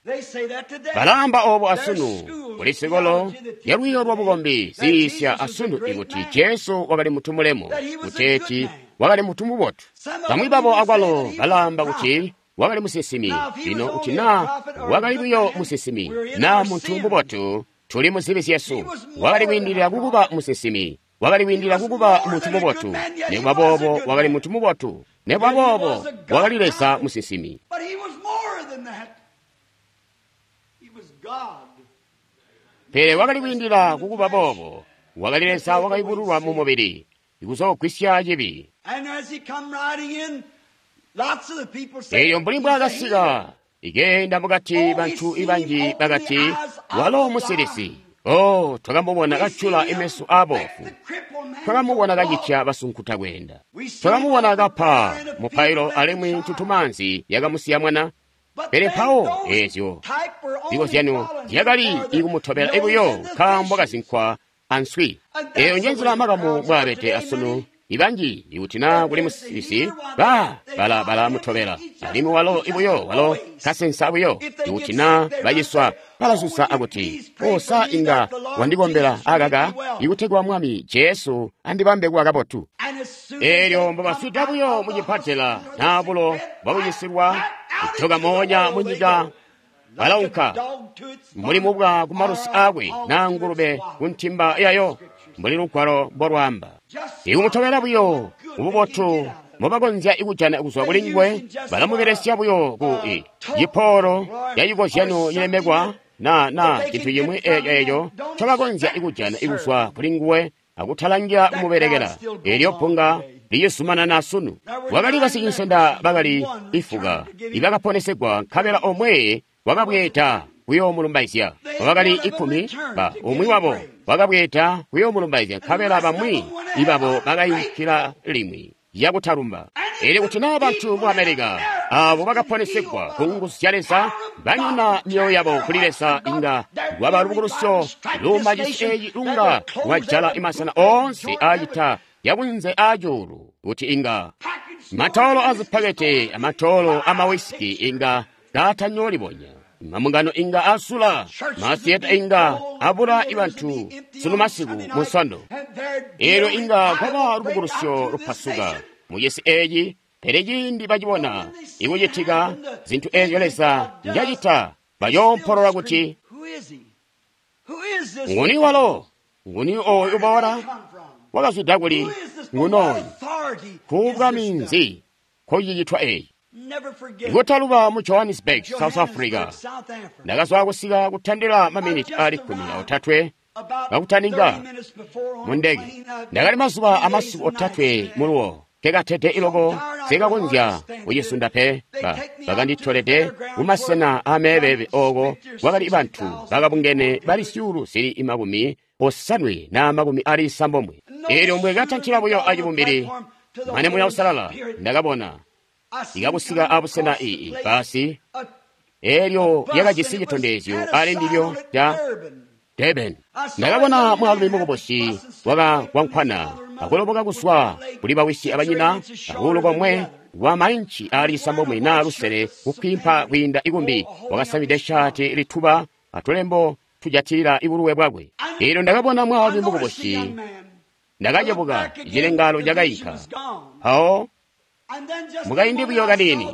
Balaamba obo asunu, kuli sikolo ya lwiiyo lwa bukombi ziyiisya asunu ikuti Jesu wakali muntu mulemu, kuteeti wakali muntu mubotu. Bamwi babo akwalo balaamba kuti wakali musinsimi. Lino kuti naa wakali buyo musinsimi naa muntu mubotu, tuli mu zibi zyesu. Wakali kwiindilila kukuba musinsimi, wakali kwiindilila kukuba muntu mubotu. Nikuba boobo wakali muntu mubotu, nikuba boobo wakali Leza musinsimi. Pele wakali kwiindilila kukuba boobo, wakali Leza wakayubululwa mu mubili, kuzoogwisya cibi. Elyo mbuli mbwaakasika ikeenda mukati, bantu banji bakati, Walo musilisi. Oh, twakamubona kacula imeso aabofu, twakamubona kacitya basunkuta kweenda, twakamubona kapa mupailo alimwi ntutumanzi yakamusiya mwana. Pele mpawo eezyo zikozyanyo zyakali ikumutobela ibuyo nkaambo kazinkwa answi. Eeyo njenzila makamu mbwaabede asunu. Ibanji ikuti naa kuli musilisi, ba bala balamutobela, alimwi walo ibuyo walo kasensa buyo. Ikuti naa baciswa, balasusa akuti, Osa inga wandikombela akaka, ikutegwa Mwami Jesu andibambe kuba kabotu. Eelyo mbobaswida buyo mucipatela naa bulo bwakucisilwa, kujoka moonya munyika balaunka mbuli mubwa kumalusi aakwe naa ngulube kuntimba yayo, mbuli lugwalo mbolwaamba. Ikumutobela buyo mububotu mbobakonzya kujana kuzwa kuli nguwe, balamubelesya buyo ku cipoolo yacikozyano cilemekwa na na cintu cimwi eeco eeco ncobakonzya kujana kuzwa kuli nguwe akutalangira kumubelekela. Eelyo bbunga licizumanana sunu. Wakali basicinsenda bakali ifuka ibakaponesegwa, nkabela omwe wakabweeda kuyoomulumbaizya. Bakali ikumi ba umwi wabo wakabweeda kuyoomulumbaizya, nkabela bamwi ibabo bakayinkila limwi yakutalumba. Elyo kuti naa bantu mu Amerika abo bakaponesegwa ku nguzu zya Leza banyona myoyo yabo kuli Leza, inga lwaba lubukulusyo luuma cisi eeci lunga lwajala imasena oonse aacita yakunze aacuulu, kuti inga matoolo azipakete amatoolo amawisiki inga kaatanyolibonya, mamungano inga asula, masiyeta inga abula ibantu sunu masiku mu Nsondo. Eelyo inga kwaba lubukulusyo lupasuka mucisi eeci. Pele ciindi bacibona ikucitika zintu eezyo Leza njacita, bayoompolola kuti, Nguni walo? Nguni ooyu uboola? Wakazwida kuli? Ngunoyu? Kuubwa minzi nkocicitwa eeci? Ikutaluba mu Johannesburg, South Africa, ndakazwa kusika kutandila maminiti ali kkumi aotatwe kakutaninga mu ndege. Ndakali mazuba amasiku otatwe muluwo, nkekatede iloko sikakonzya kucisunda pe. Bakanditolede kumasena ameebebe ooko kwakali bantu bakabungene bali zyuulu zili makumi osanwe na makumi ali isambomwe. Eelyo mbwekatantila buyo acibumbili mane Muya Uusalala, ndakabona ikakusika abusena iyi basi eelyo lyakajisi citondezyo ali ndilyo ca Durban. Ndakabona mwaalumi mukubusi wakakwankwana akuloboka kuzwa kuli bawisi abanyina akuulu komwe wa mainci ali isambomwe naa lusele kukwimpa kwiinda ikumbi, wakasamide shaati lituba atulembo tujatilila ibuluwe bwakwe. Eelyo ndakabona mwaalumi mukubusi, ndakacebuka, icilengalo cakayinka. Mpawo mukaindi buyo kaniini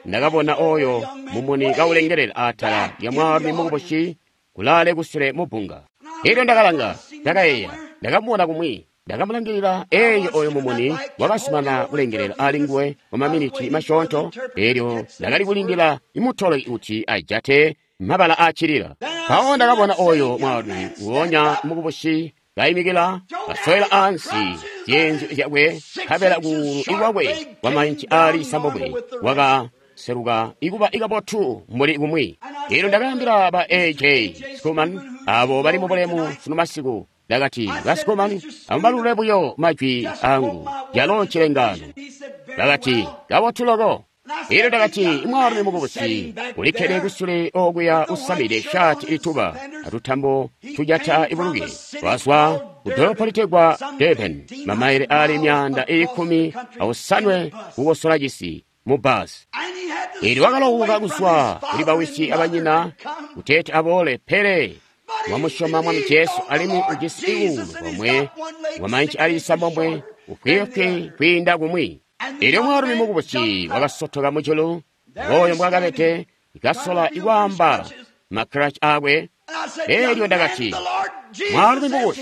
ndakabona oyo mumuni kaulengelela atala lya mwaalumi mukubusi kulaale kusule mubbunga. Elyo ndakalanga, ndakayeeya, ndakamubona kumwi, ndakamulangilila. Eeyo oyo mumuni wakasumana kulengelela ali nguwe kwa maminiti masyoonto. Elyo ndakali kulindila imutolo kuti ajate mabala aacilila. Mpawo ndakabona oyo mwaalumi nguonya mukubusi kaimikila, kasowela ansi zyeenzyo zyakwe, nkabela kuulu ikwakwe kwa mainci ali isambomwe wakaseluka ikuba ikabotu mbuli kumwi. Elyo ndakaambila ba A J Schoeman abo bali mubulemu sunu masiku, Ndakati, Basikomani, amubalule buyo majwi angu, yalo ncilengano. Bakati, kabotu loko. Elyo ndakati, mwaalumi mukubusi ulikkede kusule okuya usamide shaati ituba atutambo tujata ibuluke, wazwa ku dolopo litegwa Durban, mamaile ali myaanda ili kkumi awosanwe kukosola cisi mu basi. Elyo wakalowuka kuzwa kuli bawisi abanyina kuteeti aboole, pele wamusyoma Mwami Jesu alimwi ujisi iwuulu komwe wamainci ali cisambomwe ufwiifwi kwiinda kumwi. Elyo mwaalumi mukubusi wakasotoka mujulu, ngooyo mbwakabede, kasola ikwaamba makkiraci akwe. Elyo ndakati, mwaalumi mukubusi,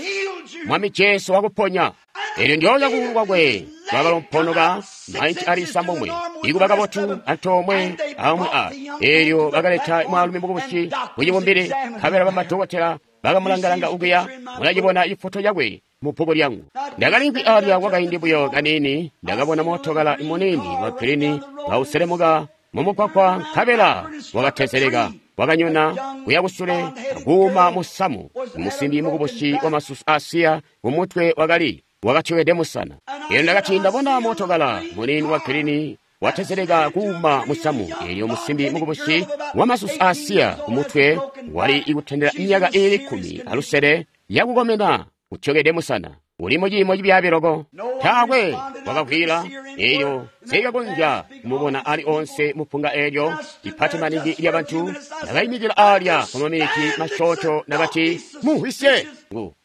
Mwami Jesu wakuponya. Elyo ndyoonya kuulu kwakwe kwakalomponoka mainci ali cisambomwe, ikuba kabotu antoomwe amwi a. Elyo bakaleta mwaalumi mukubusi kucibumbili, nkabela bamadokotela bakamulangalanga ukuya, mulacibona ifoto yakwe mu bbuku lyangu. Ndakalimvwi alya kwakaindi buyo kaniini, ndakabona mootokala muniini wa girini kauselemuka mumugwagwa, nkabela wakatezeleka, wakanyona kuya kusule akuuma musamu. Musimbi mukubusi wa masusu asiya kumutwe wakali wakatyowede musana. Elyo ndakati, ndabona mootokala muniini wa girini watezeleka kuuma musamu. Elyo musimbi mukubusi wa masusu asiya kumutwe wali ikutendela myaka iili kkumi alusele yakukomena, utyokede musana, uli muciimo cibyaabi loko. Taakwe wakavwiila. Elyo sikakonzya kumubona ali onse mupunga elyo ipati maningi lya bantu. Ndakayimikila alya kwa maminiti masyoonto, nakati, mumvwisye,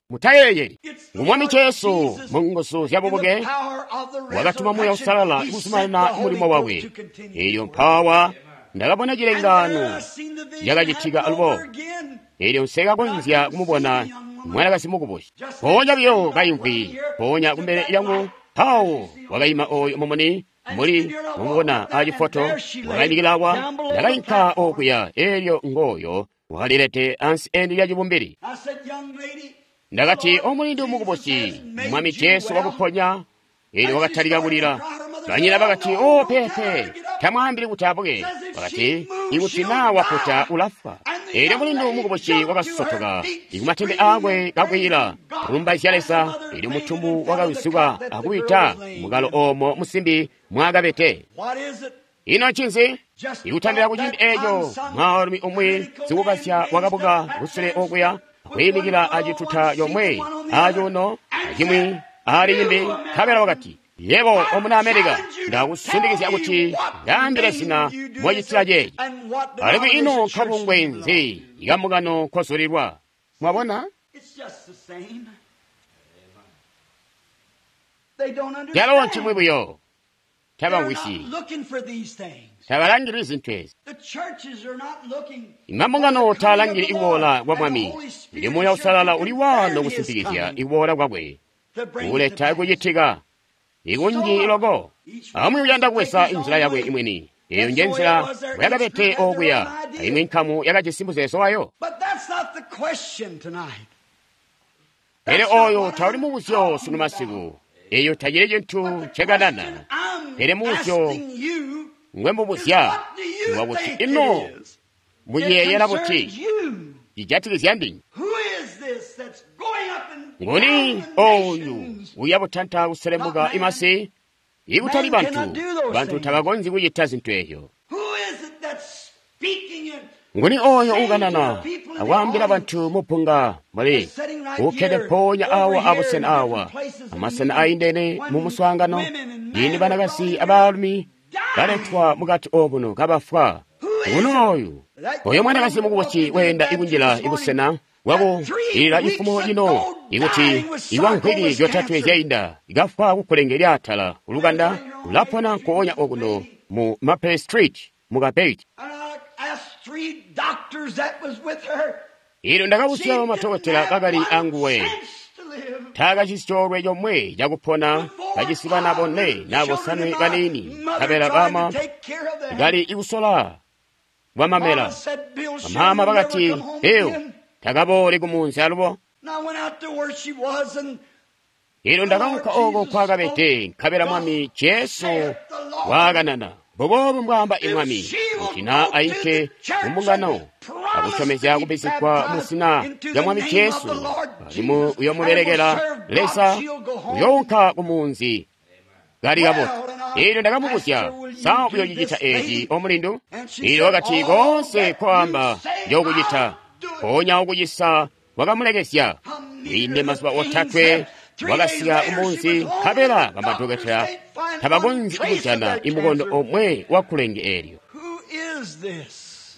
mutayeeyeli ngu Mwami Jesu mu nguzu zya bubuke wakatuma Muuya Uusalala kuzumanana mulimo wakwe. Elyo mpawa ndakabona cilengaano cakacitika alubo. Elyo nsekakonzya kumubona mwanakazi mukubusi, mpoonya buyo kayimvwi mpoonya kumbele lyangu. Mpawo wakayima oyo mumuni muli mumubona acifoto, wakayimikila awa. Ndakayinka okuya, elyo ngooyo wakalilete ansi eni lya cibumbili. Ndakati, omulindi mukubusi, Mwami Jesu wakuponya. Elyo wakatalika kulila. Banyina bakati, o pepe, tamwaambili kuti abuke. Bakati, ikuti naa waputa ulafwa. Elyo mulindu mukubusi wakasotoka ikumatende akwe kakwiila, kulumbaizya Leza. Elyo mutumbu wakawizuka akuwita mukalo oomo musimbi mwakabete. Ino ncinzi? Ikutandila kuciindi eeco, mwaalumi umwi sikukazya wakabuka kusule okuya, akwiimikila acituta comwe acuuno acimwi ali cimbi, nkabela wakati, yebo omuna Amerika, ndakusindikizya kuti ndaambile zina mwacitila ceeci. Alimwi ino nkabungwe nzi ikamukano nkozulilwa? Mwabona? Calo ncimwi buyo. Tabamvwisyi, tabalangili zintu ezi. Imambungano taalangili ikuboola kwa Mwami. Ili Muuya Uusalala uli waano kusimpikizya ikuboola kwakwe, kuleta kucitika ikunji loko. Amwi uyanda kuwesa inzila yakwe imwini. Eyo nje nzila bwakabete okuya, aimwi nkamu yakajisi muzeezo wayo. Pele oyo tauli mubuzyo sunu masiku. Eyo tacili cintu ncekanana. Pele mubuzyo ngwe mubuzya ngwakuti, ino muyeeyela buti cijatikizya ndinywe? Nguni oyu uya butanta kuselemuka imasi? Ikutali bantu, bantu tabakonzyi kucita zintu ezyo. Nguni oyo ukanana akwaambila bantu mupunga muli ukkede mpoonya awa abusena awa amasena aindene mu muswaangano, ciindi banakazi abaalumi baletwa mukati omuno kabafwa? Nguni oyu? Oyo mwanakazi mukubusi weenda ikunjila ibusena bwakulila ifumo lino, ikuti iwa nkwiki zyotatwe zyainda ikafwa kukkulenge lyaatala ulukanda ulapona nkoonya okuno mu Maple Street mu Kabeit. Elyo ndakabuzya bamadokotela bakali anguwe, taakajisi coolwe comwe cakupona, kajisi bana bone na bosanwe baniini, nkabela bama kali ikusola bwamamela. Bamaama bakati, ew, takaboole kumunzi alubo. Elyo ndakaunka oko kwakabede, nkabela Mwami Jesu waakanana. Mbuboobu mbwaamba Mwami, kuti naa ainke mumbungano akusyomezya kubbizigwa mu zina lya Mwami Jesu, alimwi uyomubelekela Leza, uyounka ku munzi kali kabotu. Eelyo ndakamubuzya, sa uyocicita eeci omulindu? Eelyo wakati, koonse kwaamba njokucita. Mpoonya ukucisa wakamulekezya. Kwiinde mazuba otatwe wakasika kumunzi, nkabela bamadokotela tabakonzyi kujana imukondo omwe wa kulenge eelyo. Who is this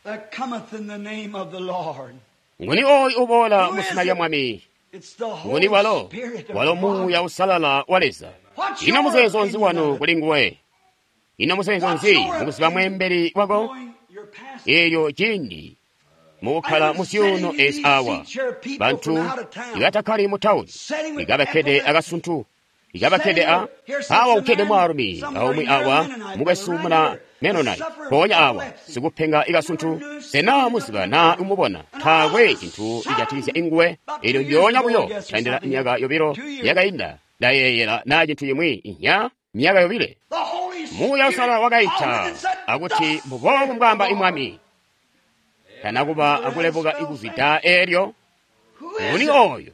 that cometh in the name of the Lord? Nguni ooyu uboola mu zina lya Mwami? It's the Nguni Holy walo? Spirit of Walo God. Muuya Usalala wa Leza. What's Ino your muzeezo nzi opinion wanu of it? kuli nguwe? Ino muzeezo nzi mukuziba mweembeli wako? Knowing your pastor. Eelyo ciindi mukukkala mu zyuuno ezi awa, bantu ibatakkali mu tawuni, ikabakkede akasuntu, ikabakkede a awa kukkede mwaalumi aumwi awa mukwesu muna Mennonite, mpoonya awa sikupenga ikasuntu, sena muziba naa umubona taakwe cintu cijatikizya inguwe. Eelyo ndyoonya buyo tandila myaka yobilo yakainda, ndayeeyela naa cintu cimwi inya myaka yobile. The Holy Muuya Spirit Usalala wakaita called and said, akuti "Thus mbuboobu saith mbwaamba the Lord." imwami. Tanakuba akulebuka ikuzwida eelyo. Who is Nguni it? ooyo?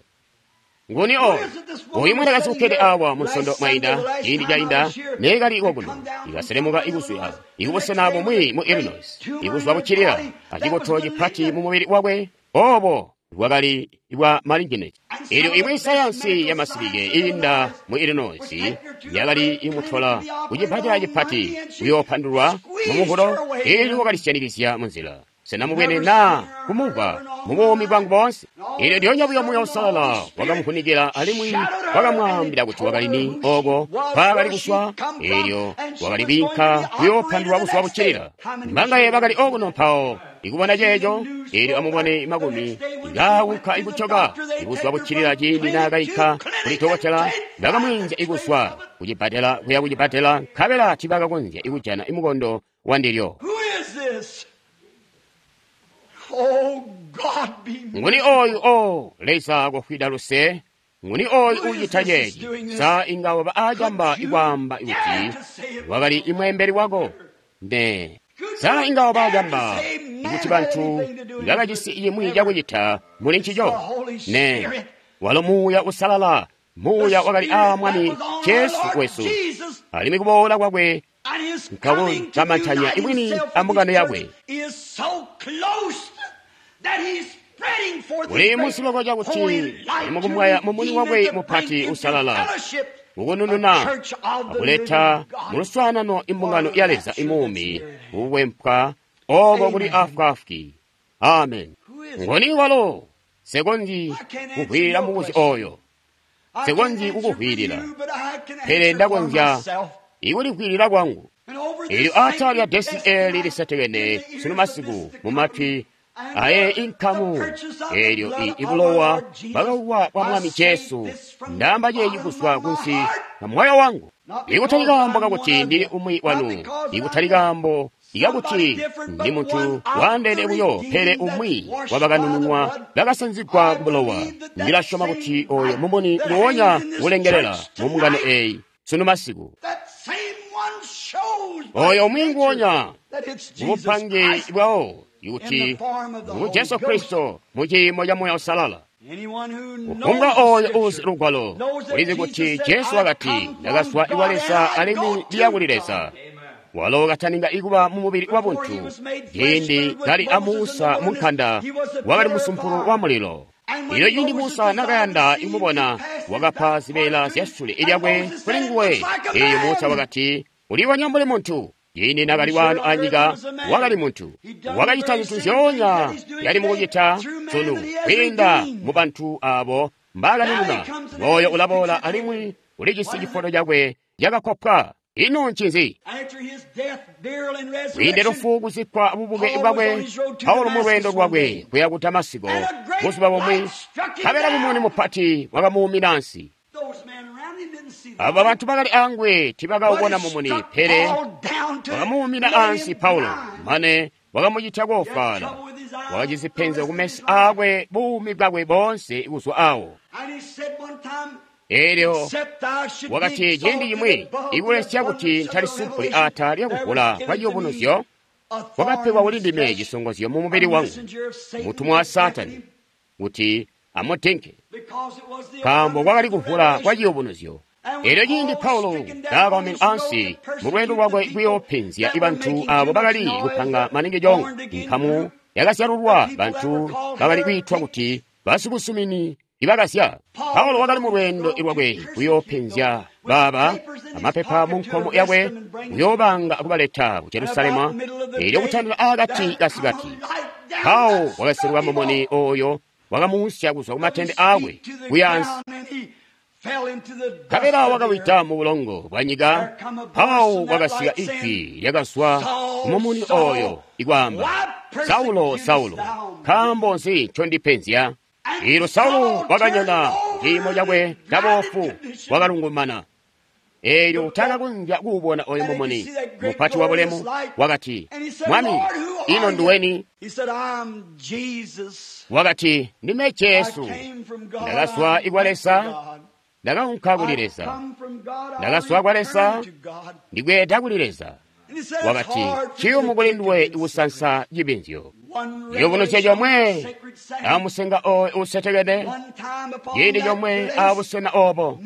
Nguni ooyo? Uyu mwanakazi ukkede awa mu nsondo mwainda, ciindi cainda, neekali kokuno, ikaselemuka ikuzwa ikubusena bumwi mu Illinois, ikuzwa buccilila acikoto cipati mu mubili wakwe, obo bwakali bwa malignant. Eelyo imwi sayansi ya masilike iinda mu Illinois yakali imutola kucipatala cipati kuyoopandulwa mu muvulo, eelyo wakalisyanikizya munzila. Sena mubwene naa kumumvwa mu buumi bwangu boonse? Eelyo ndyoonya buyo Muuya Usalala wakamuvunikila alimwi wakamwaambila kuti wakali ni ooko mpaakali kuswa, eelyo wakali kwiinka kuyoopandulwa buzuba buccilila. Mbangaye bakali okuno mpawo ikubona ceeco, eelyo amubone makumi ikaawunka ikucoka ibuzuba buccilila ciindi naakayika kuli dokotela, bakamwiinzya ikuzwa kucibbadela kuya kucibbadela, nkabela tiibakakonzya ikujana imukondo wandilyo. Who is this? Oh, God, be Nguni ooyu o Leza kofwida luse? Nguni ooyu uucita ceeci? Sa inga waba aacamba ikwaamba kuti wakali imweembeli wako? Ne. Sa inga waba aacamba ikuti bantu bakajisi cimwi cakucita muli ncico? Ne. Walo Muuya Usalala, Muuya wakali aa Mwami Jesu wesu, Jesus alimwi kuboola kwakwe and his Nkawo coming to kamantanya unite imwini himself with ambungano his yakwe. church is so close that he's spreading forth Uli his great musiloko cakuti holy light ali to mukumwaya mumuni redeem wakwe and to mupati bring into usalala, fellowship ukunununa the church of the akuleta living God. mu luswaanano imbungano ya Leza imuumi kukwempwa oko kuli afwaafwi. Amen. Ngoni walo sekonzi kuvwiila mubuzyo oyo, I sekonzi can't answer for kukuvwiilila, you, but I can pele answer for ndakonzya myself. ikulikwilila kwangu. And over this Eelyo aatala lya sacred desi desk eeli tonight, lisetekene in the ears sunu of masiku this mu matwi aye inkamu purchase of the eelyo blood i of our ibulowa Lord Jesus, bwakauwa bwa I Mwami say Jesu, this from the ndaamba ceeci bottom kuzwa of my kunsi heart. ka moyo wangu. Not Ikutali because kaambo I'm kakuti one of ndili you, umwi not wanu, because ikutali I'm kaambo ikakuti somebody different, ndi but munthu one of waandeene the buyo, pele redeemed umwi that's washed wa bakanununwa by the blood. bakasanzigwa I ku bulowa. believe that that Ndilasyoma same kuti oyo light mumuni that nguwonya hangs in this ulengelela church mu mbungano tonight, eyi sunu masiku. that same one shows by Oyo umwi nature nguwonya that it's mu Jesus bupange Christ bwawo in ikuti the form of the ngu Holy Jesu Ghost. Kristo mu ciimo ca Muuya Usalala. Anyone who Kufumbwa knows the oyo uuzi Scripture lugwalo knows that ulizi Jesus kuti said, Jesu "I wakati come from ndakazwa God iwa and Leza I alimwi go ndiya to kuli God." Leza. Walo kataninga ikuba mu mubili wa Before buntu he was made flesh, ciindi food with kali a Moses in the Musa mu wilderness, nkanda he was a wakali pillar of musumpulu fire. wa mulilo. And when Ilyo ciindi Moses Musa desired nakayanda to see him, ikumubona he passed his wakapa back zibeela part to zya him. sule And ilyakwe Moses kuli said, "It nguwe. looks like a Eelyo Musa man." wakati ulibonya mbuli muntu. Ciindi nakali wano anyika wakali muntu, wakacita zintu zyoonya yali mukucita sunu kwiinda mu bantu abo mbaakanununa. Moyo ulaboola alimwi ulijisi cifoto cakwe cakakopwa. Ino ncinzi? After his death, burial, and Kwiinde resurrection, lufu kuzikkwa bubuke bwakwe, Paulo mu lwendo lwakwe kuya ku Damasiko buzuba bumwi, nkabela mumuni mupati wakamuumina ansi. those men around him didn't see the Abo light. bantu bakali angwe tibakawubona But it mumuni, struck pele Paul down to wakamuumina lay him ansi Paulo, blind. mane wakamucita koofwaala. Trouble with his eyes, Wakajisi the penzi rest of ku his meso life. aakwe buumi bwakwe boonse kuzwa awo. And he said one time, Eelyo "Except I should be wakati ciindi exalted cimwi above the ikulesya kuti abundance of the ntalisupuli revelation ata that lyakuvula was kwa given to me ciyubunuzyo Kwakapegwa kuli ndime cisongozyo mu mubili wangu, mutumwa wa Saatani, kuti amutinke, nkaambo kwakali kuvula kwa ciyubunuzyo. Elyo ciindi Paulo naakawamena ansi mu lweendo lwakwe kuyoopenzya bantu abo bakali kupanga maningi congo, nkamu yakazyalulwa bantu bakali kwiitwa kuti basikusumini ibakazya. Paulo wakali mu lweendo lwakwe kuyoopenzya baaba amapepa mu nkomo yakwe, kuyoobanga kubaleta ku Jerusalema. Elyo kutandila akati kasikati, Paulo wakaseluka mumuni oyo wakamuusya kuzwa ku matende aakwe kuya ansi, nkabela wakawida mu bulongo bwa nyika. Paulo wakasika ijwi lyakazwa ku mumuni oyo ikwaamba, Saulo, Saulo, nkaambo nzi ncondipenzya? Elyo Saulo wakanyona ciimo cakwe caboofu, wakalungumana. Elyo taakakonzya kuubona oyo mumuni mupati wa bulemu. Wakati, Mwami, ino nduweni? Wakati, Ndime Jesu. Ndakazwa ikwa Leza, ndakaunka kuli Leza. Ndakazwa kwa Leza, ndikweeda kuli Leza. Wakati, ciyumu kuli nduwe kusansa cibinzyo. Ciyubunuzyo comwe amusenga oyo uusetekene, ciindi comwe abusena obo,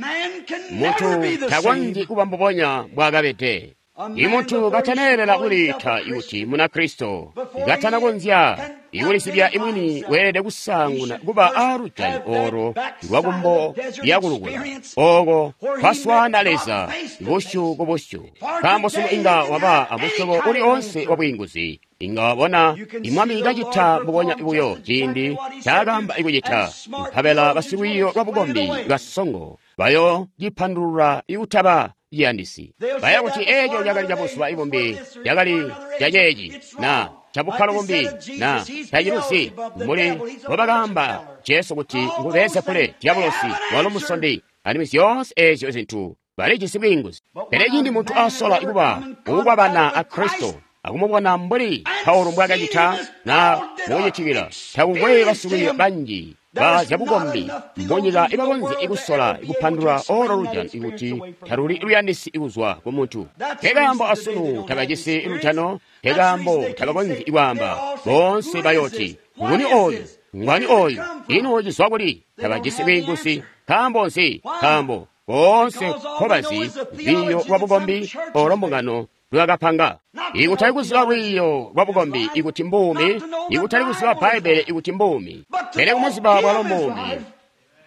muntu takonzyi kuba mbubonya mbwaakabede. Imuntu kataneelela kuliita kuti Munakristo, katanakonzya ikulisibya imwini, weelede kusaanguna kuba aalujani oro lwakumbo lyakulukula oko kwaswaana Leza busyu ku busyu. Nkaambo sunu inga waba amusyobo uli onse wa bwiinguzi, inga wabona imwami kacita mbubonya buyo ciindi ncaakaamba ikucita, nkabela basilwiiyo lwa bukombi basongo bayo cipandulula ikutaba ciyandisi. Baya kuti eeco cakali cabuzuba ibumbi, cakali caceeci na cabukkalo bumbi na taciluzi, mbuli mbobakaamba Jesu kuti ngu Beelzebule, dyabulosi, walo musondi, alimwi zyoonse eezyo zintu balijisi bwiinguzi. Pele ciindi muntu asola kuba mukukwabana a Kristo akumubona mbuli Paulo mbwaakacita na mukucitikila, takukwe basikwiiya banji ba zyabukombi munyika ibakonzya ikusola ikupandulula olo lujano ikuti taluli luyandisi kuzwa ku muntu. Nkekaambo asunu tabajisi lujano, nkekaambo tabakonzyi ikwaamba. Boonse bayooti, nguni oyu? Ngwani oyu? Ino cizwa kuli? Tabajisi bwiinguzi. Nkaambo nzi? Nkaambo boonse nkobazi lwiiyo lwa bukombi olo mbungano lwakapanga. Ikutali kuziba lwiiyo lwa bukombi ikuti mbuumi, ikutali kuziba Bbaibbele ikuti mbuumi, pele kumuziba bwalo mbuumi,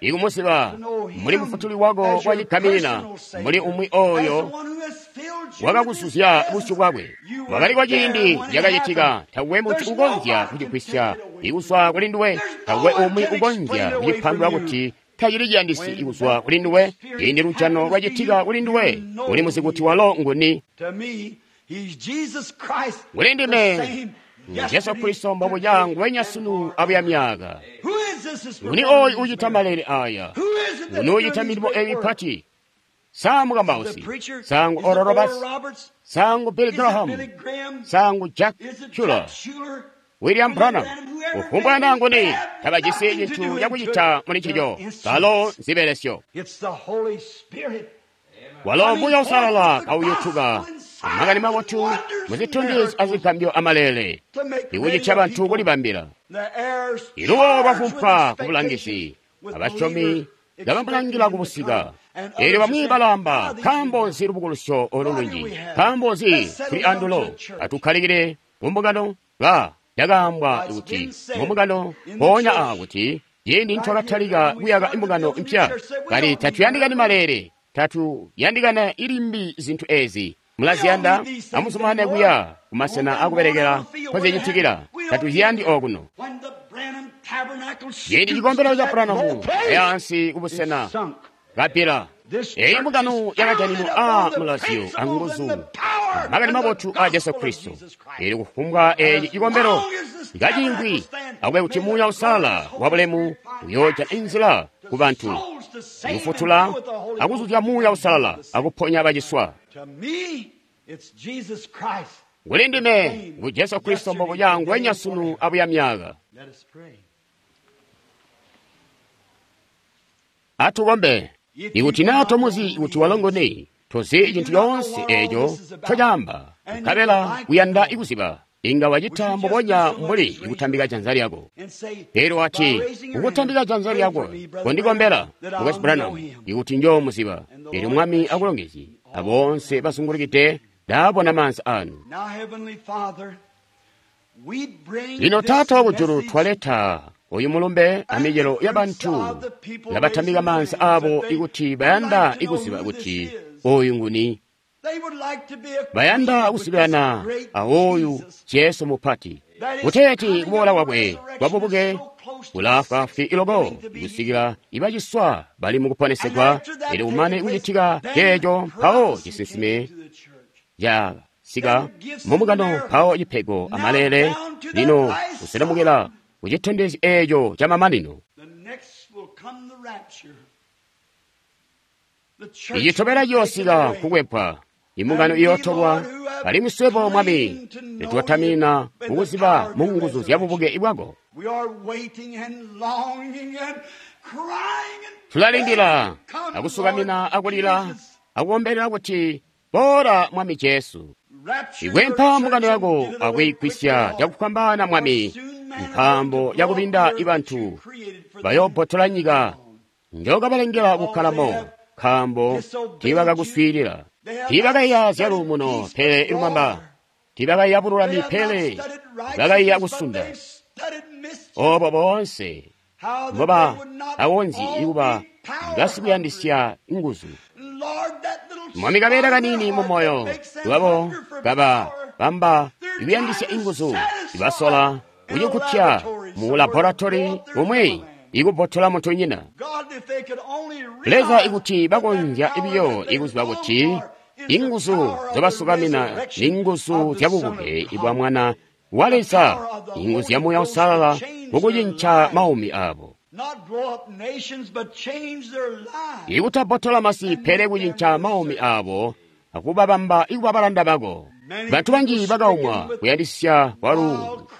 ikumuziba muli mufutuli wako wa cigamina, muli umwi oyo wakakuzuzya busyu bwakwe. Wakali kwa ciindi cakacitika, takwe muntu ukonzya kucigwisya ikuzwa kuli nduwe, takwe umwi ukonzya kucipandulula kuti tacili ciyandisi ikuzwa kuli nduwe. Ciindi lujano lwacitika kuli nduwe, uli muzi kuti walo nguni. Kuli ndime Jesu Kristo mbobuca nguwenya sunu abuya myaka. Nguni oyu ucita malele aya? Nguni ucita milimo eyi mipati? Sa mukambausi, sangu Oral Roberts, sangu Billy Graham, sangu Jack Shuler, William Branham, kufumbwa naa nguni, tabajisi cintu cakucita muli ncico. Balo nzibelesyo. Walo Muuya Uusalala kauyutuka makani mabotu muzitondezyo azigambyo amalele, ikucitya bantu kulibambila. Iluwo lwavumpwa kubulangizi, abasyomi kabamulangila kubusika. Elyo bamwi balaamba, nkaambo nzi lubukulusyo olu lunji? Nkaambo nzi tuli andulo? Atukkalikile mumbungano. Ba cakaambwa kuti mumbungano mpoonya a kuti ciindi ncakatalika kuyaka imbungano mpya, kali tatuyandikani malele, tatuyandikana ilimbi zintu ezi. Mulaziyanda, amuzumane kuya kumasena akubelekela nkozicitikila. Tatuziyandi okuno. Ciindi cikombelo ca Branham yaansi kubusena kapila, eyi mbungano yakajaninwa a mulazyo anguzu makani mabotu a Jesu Kristo. Elyo kufumbwa eci cikombelo kacingwi akube kuti Muuya Uusalala wa bulemu uyoojana inzila ku bantu, kufutula akuzuzya Muuya Uusalala akuponya baciswa. Kuli ndime ngu Jesu Kristo mbobuca nguwenya sunu abuya myaka. Atukombe. Ikuti naa tomuzi kuti walo nguni, tozi cintu coonse eeco ncocaamba, nkabela uyanda kuziba, Inga wacita mbubonya mbuli kutambika janza lyako. Elyo wati, kukutambika janza lyako, kondikombela, Mukwesu Branham, ikuti njoomuziba. Elyo Mwami akulongezye, aboonse basungulukide, ndaabona maanza anu. Lino Taata wakujulu, twaleta oyu mulumbe amicelo ya bantu labatambika maanza abo ikuti bayanda ikuziba kuti oyu nguni. Bayanda kuzibilana awoyu Jesu mupati, kuteeti kuboola kwakwe kwabubuke kulaafwaafwi iloko kusikila ibaciswa bali mukuponesegwa. Elyo kumane kucitika ceeco, mpawo cisinsime casika mumukano, mpawo cipego amalele lino kuselemukila kucitondezyo eeco camamanino. Icitobela ciyoosika kukwepwa, imbungano iyootolwa, alimwi swebo Mwami nitwatamina kukuziba mu nguzu zya bubuke bwako. Tulalindila akusukamina akulila akukombelela kuti boola Mwami Jesu. Ikwempa mbungano yako akuyigwisya cakufwambaana Mwami, nkaambo yakubinda ibantu bayoobbotola nyika njokabalengela kukkalamo, nkaambo tiibakakuswiilila. Tiibakaiya zyaluumuno pele ilumamba, tiibakaiya bululami pele bakaiya kusunda. Obo boonse mboba awonzi ikuba ngasikuyandisya nguzu. Mwami kabeela kanini mu moyo lwabo kaba bamba ikuyandisya inguzu, ibasola kucikutya mu laboratori umwi ikubbotola muntunyina. Leza ikuti bakonzya biyo ikuziba kuti inguzu zobasukamina ni nguzu zyabubuke bwa Mwana wa Leza, inguzu zya Muuya Uusalala mukucinca maumi abo. Ikutabbotola masi pele kucinca maumi abo akubabamba ikuba balanda bako. Bantu banji bakaumwa kuyandisya kwalu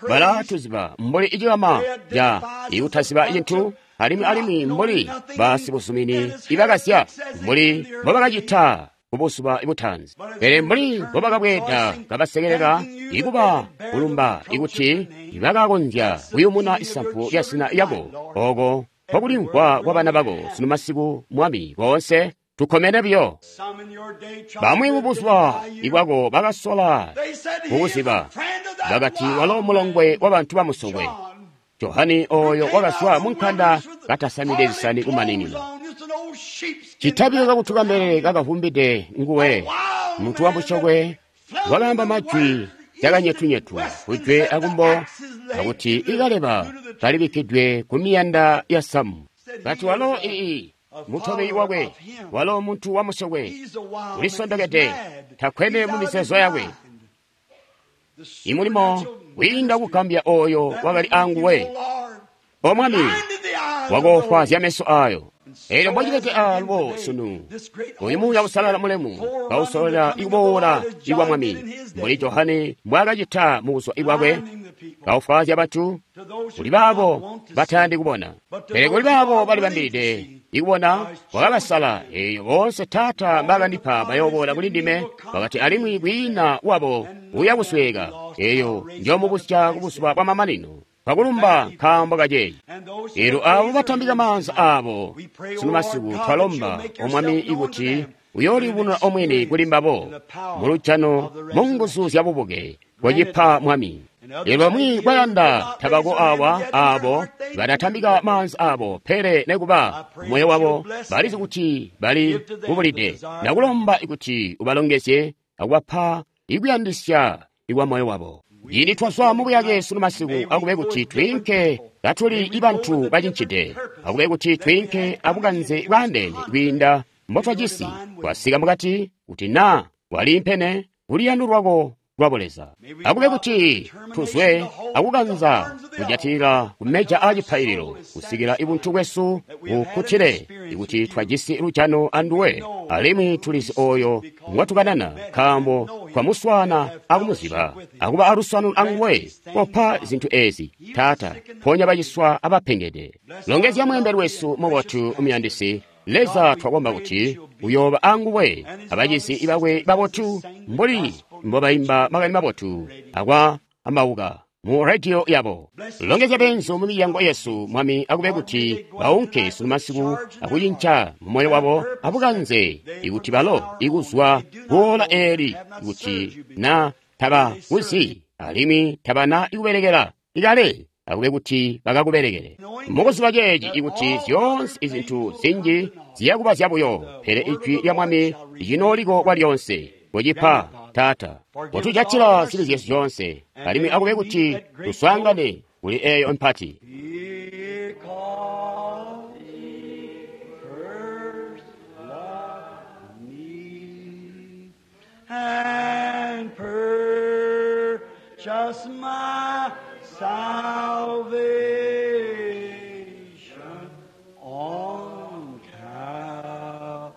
balatuziba mbuli icilama ca ikutaziba cintu, alimwi alimwi mbuli basibuzumini ibakasya mbuli mbobakacita kubuzuba butanzi. Pele mbuli mbobakabweeda kabasekelela ikuba kulumba ikuti bakakonzya kuyumuna isampu lya zina lyako, oko nkokulimvwa kwa bana bako sunu masiku Mwami boonse tukomene biyo. Bamwi mubuzuba ibwako bakasola kukuziba, bakati walo mulongwe wabantu bamusokwe. Johani oyo wakazwa munkanda katasamide zisani kumaninina. Citabilo kakutuka mbelele kakavumbide nguwe, muntu wamusyokwe wakaamba majwi cakanyetunyetu kujwe akumbo, akuti ikaleba kalibikkidwe kumiyanda ya samu. Kati walo ii mutobi wakwe, walo muntu wamusokwe, ulisondokede, takwene mu mizeezo yakwe. Imulimo wiinda kugambya oyo wakali anguwe. O Mwami, wakoofwaazya meso ayo. Elyo mbocibede alubo sunu, oyu Muuya Uusalala mulemu kausololela ikuboola ikwa Mwami, mbuli Johane mbwaakacita mu buzuba bwakwe, kaufwaazya bantu kuli baabo batayandi kubona. Pele kuli baabo balibambilide ikubona, wakabasala. Eeyo boonse Taata mbaakandipa bayooboola kuli ndime, wakati alimwi kwiina wabo uya kusweeka. Eeyo njoomubusya kubuzuba bwamamanino. Twakulumba nkaambo kaceeci. Elyo abo batambika maanza abo sunu masiku, twalomba O Mwami ikuti uyoolibununa omwini kuli mbabo mulujano mu nguzu zya bubuke bwacipa Mwami. Elyo bamwi bayanda tabako awa abo badatambika maanza abo, pele nekuba moyo wabo balizi kuti bali kubulide. Ndakulomba ikuti ubalongezye akubapa ikuyandisya ikwa moyo wabo. Ini twazwa mubuyake sunu masiku, akube kuti twiinke katuli ibantu bacincide, akube kuti twiinke abukanze bwaandeene kwiinda mbotwajisi. Twasika mukati kuti naa waliimpene kuliyando lwako lwa Buleza, akube kuti tuzwe akukanza kujatilila kumeja aacipaililo kusikila ibuntu bwesu bukkutile ikuti twajisi lujano anduwe, alimwi tulizi oyo ngwatukanana, nkaambo twamuswaana akumuziba akuba aluswano anguwe. Kopa zintu ezi Taata, ponya baciswa abapengede. Longezya mweembeli wesu mubotu umuyandisi. Leza, twakomba kuti uyooba anguwe abacizi bakwe babotu mbuli mbobaimba makani mabotu akwa kambauka mu rediyo yabo. Longezya benzu mu milyango yesu, Mwami, akube kuti baunke sunu masiku akucinca mu moyo wabo abukanze, ikuti balo ikuzwa kuola eli, kuti na taba kuzi alimwi tabana ikubelekela ikale, akube kuti bakakubelekele mukuziba ceeci, ikuti zyoonse izintu zinji ziyakuba zyabuyo, pele ijwi lya Mwami licinooliko kwalyonse. Kucipa, Taata, kotujatila zibi zyesu zyoonse, alimwi akube kuti tuswaangane kuli eyo mpati. Because he first loved me and purchased my salvation on Calvary's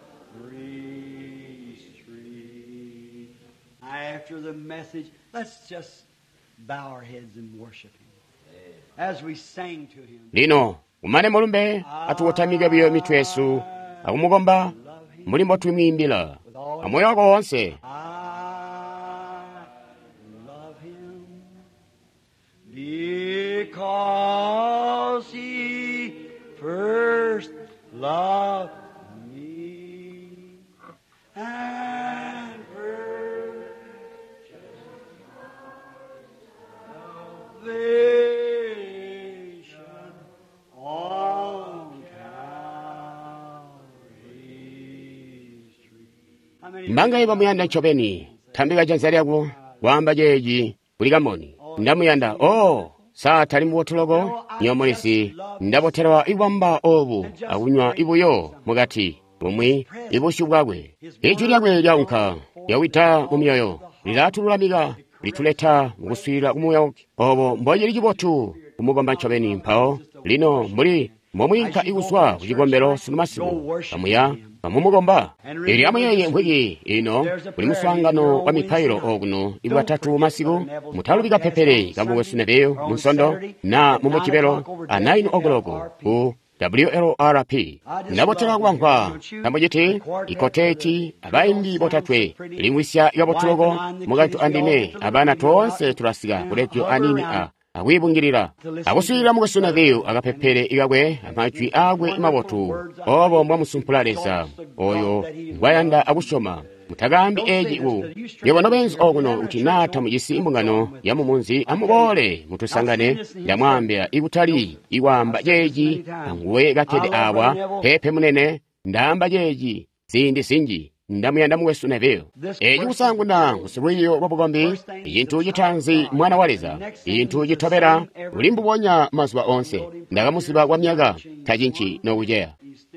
tree. After the message, let's just bow our heads and worship him as we sang to him. Lino umane mulumbe, atukotamike buyo mitwe yesu akumukomba mbuli mbotwimwiimbila amoyo wako wonse. I love him because he first loved me and purchased salvation on Calvary's tree. How many Mbangaye bamuyanda ncobeni? Tambika janza lyako kwaamba ceeci kuli kamboni. Ndamuyanda. Oh, sa tali mubotu loko? Nyomulizi ndabotelwa ikwamba obu akunywa ibuyo mukati bumwi ibusyu bwakwe. Ijwi lyakwe lyaunka lyawida mu myoyo, lilatululamika, lituleta mukuswiilila kumuuya. Obo mbocili cibotu kumukomba ncobeni. Mpawo lino mbuli mbomwiinka ikuzwa ku cikombelo sunu masiku, kamuya kamumukomba. Eelyo amuyeeye mvwiki ino kuli muswaangano wa mipailo okuno ibwatatu masiku. Mutalubi kapepele kamukwesu Neville mu Nsondo na mu Mujibelo a nine o'clock ku W L R P. Ndabotela kubamvwa kambuciti ikoteti abaimbi botatwe limwisya kabotuloko mukaintu andime abana toonse tulasika ku radio anini a akwibungilila akuswiilila mukwesu Neville akapepele ikakwe amajwi akwe mabotu. Obo mbwamusumpula Leza oyo ngwayanda akusyoma. Mutakaambi eeci ku nywebo nobenzi okuno kuti naa tamujisi imbungano ya mumunzi, amuboole mutusangane. Ndamwaambila ikutali ikwaamba ceeci anguwe kakkede awa, peepe munene, ndaamba ceeci ziindi zinji. Ndamuyanda mukwesu Neville. Eeci kusaanguna ngusilwiiyo lwa bukombi, icintu citaanzi mwana wa Leza, icintu citobela uli mbubonya mazuba onse. Ndakamuziba kwa myaka, tacinci nokuceya.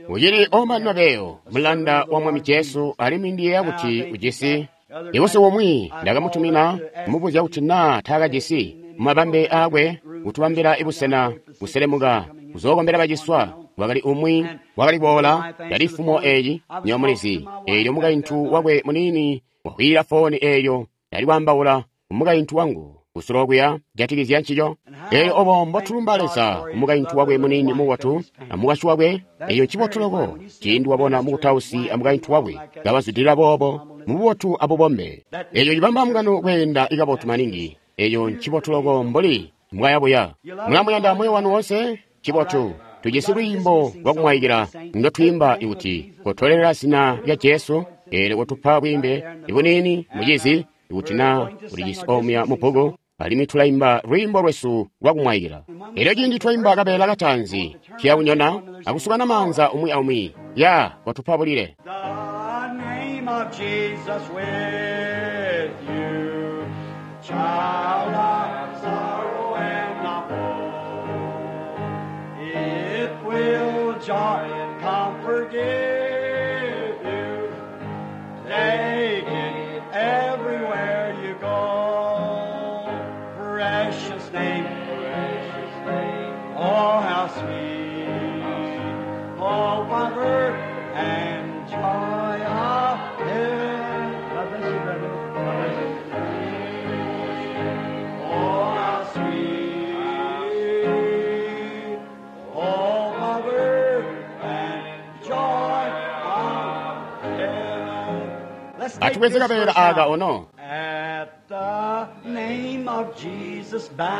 Ucili Oman Neville, mulanda wa Mwami Jesu, alimwi ndiyeeya kuti ujisi ibusiku bumwi ndakamutumina kumubuzya kuti naa taakajisi mumabambe aakwe kutubambila ibusena kuselemuka kuzookombela baciswa. Wakali umwi wakali kuboola yali fumo eeci nyomulizi. Eelyo mukaintu wakwe muniini wakwiila fooni eeyo yali kwaambaula kumukaintu wangu kusulo kuya jatikizya ncico. Eelyo obo mbotulumba Leza kumukaintu wakwe muniini mubotu amukwasyi wakwe. Eyo ncibotu loko ciindi wabona mukutausi amukaintu wakwe kabazwidilila boobo mububotu abubombe. Eyo cibamba mbungano kweenda ikabotu maningi. Eyo ncibotu loko mbuli mbwayabuya. Mulamuyanda moyo wanu wonse? Ncibotu. Tujisi lwiimbo lwakumwaikila ndotwiimba ikuti kotolelela zina lya Jesu. Eelyo kotupa bwiimbe ibuniini mucizi ikuti naa ulijisi omuya mubbuku, alimwi tulaimba lwiimbo lwesu lwakumwaikila. Eelyo ciindi twaimba kabeela kataanzi, tuya kunyona akusukana maanza umwi aumwi. Ya kotupa bulile. The name of Jesus with you, child of sorrow and of woe. It will joy and comfort give you. Take it everywhere you go. Precious name, precious name. Oh, how sweet. Oh, comfort and joy of heaven. God bless you, brother. God bless you. Oh, how sweet. Oh, comfort and joy of heaven. Let's take Atubweze this kabeela verse aka now. ono. At the name of Jesus bowing,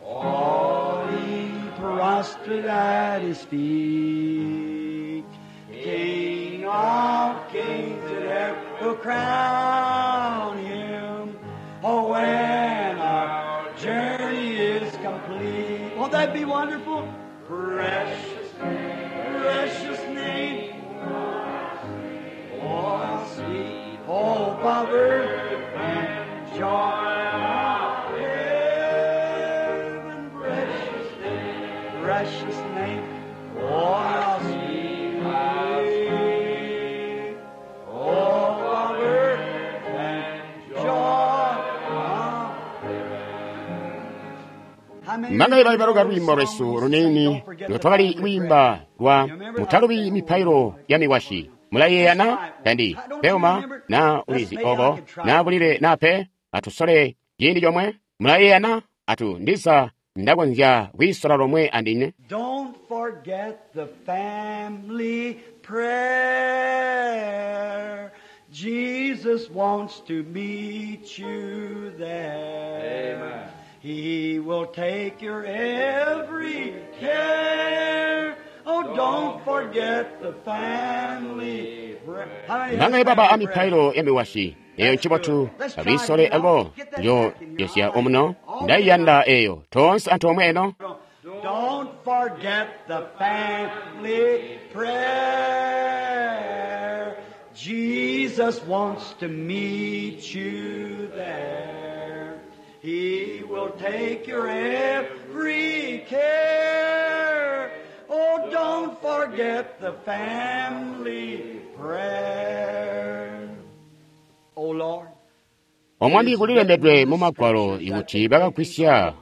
falling prostrate at his feet. King of kings and ever crown him. Oh, when our journey is complete. Won't that be wonderful? Precious name, precious name. Oh, sweet hope of earth and joy of heaven. Precious name, precious name. Oh, how sweet, how sweet. Hope of earth and joy of heaven. Manga ibaluka lwiimbo lwesu lunini lwetwakali kwiimba lwa mutalubi mipailo ya mikwasyi. Mulayeeya na tandi peuma na ulizi obo na bulile na pe atusole ciindi comwe. Mulayeeya na atu ndiza ndakonzya kwiisola lomwe andine. Don't forget the family prayer. Jesus wants to meet you there. Amen. He will take your every care. Oh, don't forget the family prayer. How many Manga has ibaba a family prayer? mipailo ya mikwasyi eyo ncibotu abisole abo njo yosya omuno ndaiyanda eyo toonse anthu omwe eno. Don't forget the family prayer. Jesus wants to meet you there. He will take your every care. Oh, don't forget the family prayer. Oh, Lord. Omwami kulilembedwe mu magwalo ikuti bakagwisya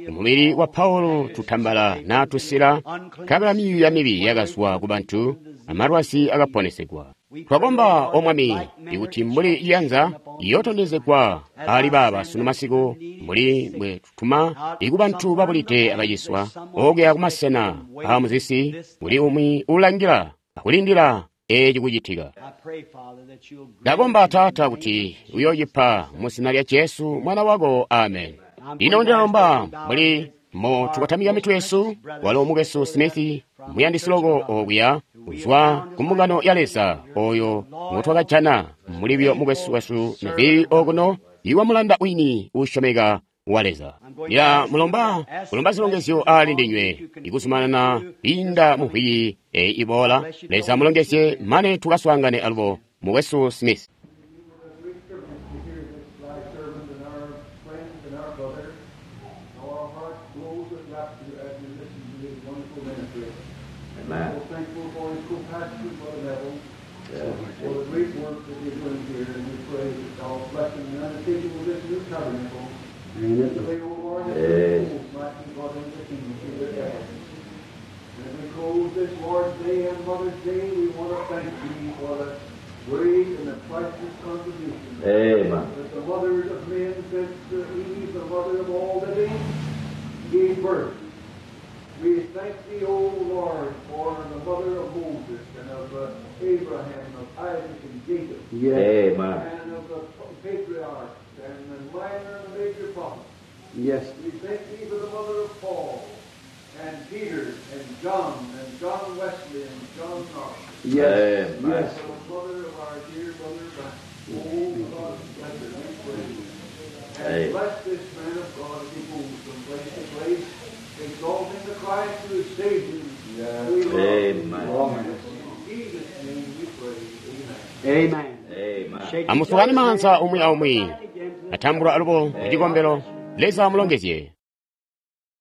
umubili wa Paulo tutambala n'atusila nkabela miyu ya mibi yakazwa ku bantu amalwazi akaponesegwa. Twakomba omwami ikuti mbuli iyanza iyotondezegwa ali baaba sunu masiku mbuli mbwe tutuma iku bantu babulide abaciswa okuya kumasena aamuzisi kuli umwi ulangila akulindila eci kucitika. I pray, Father, that you'll grant Ndakomba Taata kuti uyoocipa mu zina lya Jesu mwana wako, amen. Ino ndilomba mbuli mo tukatamika mitu yesu walo mukwesu Smith muyandisi loko okuya kuzwa ku mbungano ya Leza oyo ngotwakajana mulibyo mukwesu wesu Neville okuno iwa mulanda wini uusyomeka wa Leza. Ndila mulomba kulomba zilongezyo ali ndinywe ikuzumanana kwiinda mu mvwiki eyi iboola. Leza mulongezye mane tukaswaangane alubo mukwesu Smith. Great privilege to hear this thy servant and our friend and our brother. How our heart glows with rapture as we listen to his wonderful ministry. Amen. So thankful for his co-pastor, Brother Neville, for the great work that they're doing here, and we pray that God's blessing and undertaking of this new tabernacle. Pray, O Lord, that Yes. the souls might be brought into the kingdom through their efforts. And as we close this Lord's Day and Mother's Day, we want to thank Thee for the great and the priceless contribution Amen. that the mothers of men since Eve, the mother of all living, gave birth. We thank Thee, O Lord, for the mother of Moses and of uh, Abraham, of Isaac and Jacob, Amen. and of the patriarchs and the minor and the major prophets. Yes. We thank Thee for the mother of Paul and Peter and John and John Wesley and John Knox. Yes. Amen. Yes. For the mother of our dear brother Brian. Oh, God, bless her, we pray. And Amen. bless this man of God as he moves from place to place, exalting the Christ who has saved him. We love Amen. In Jesus' name we pray. Amen. Amen. Amen. Shake Amusukani maanza umwi aumwi atambula alubo kucikombelo. Leza amulongezye.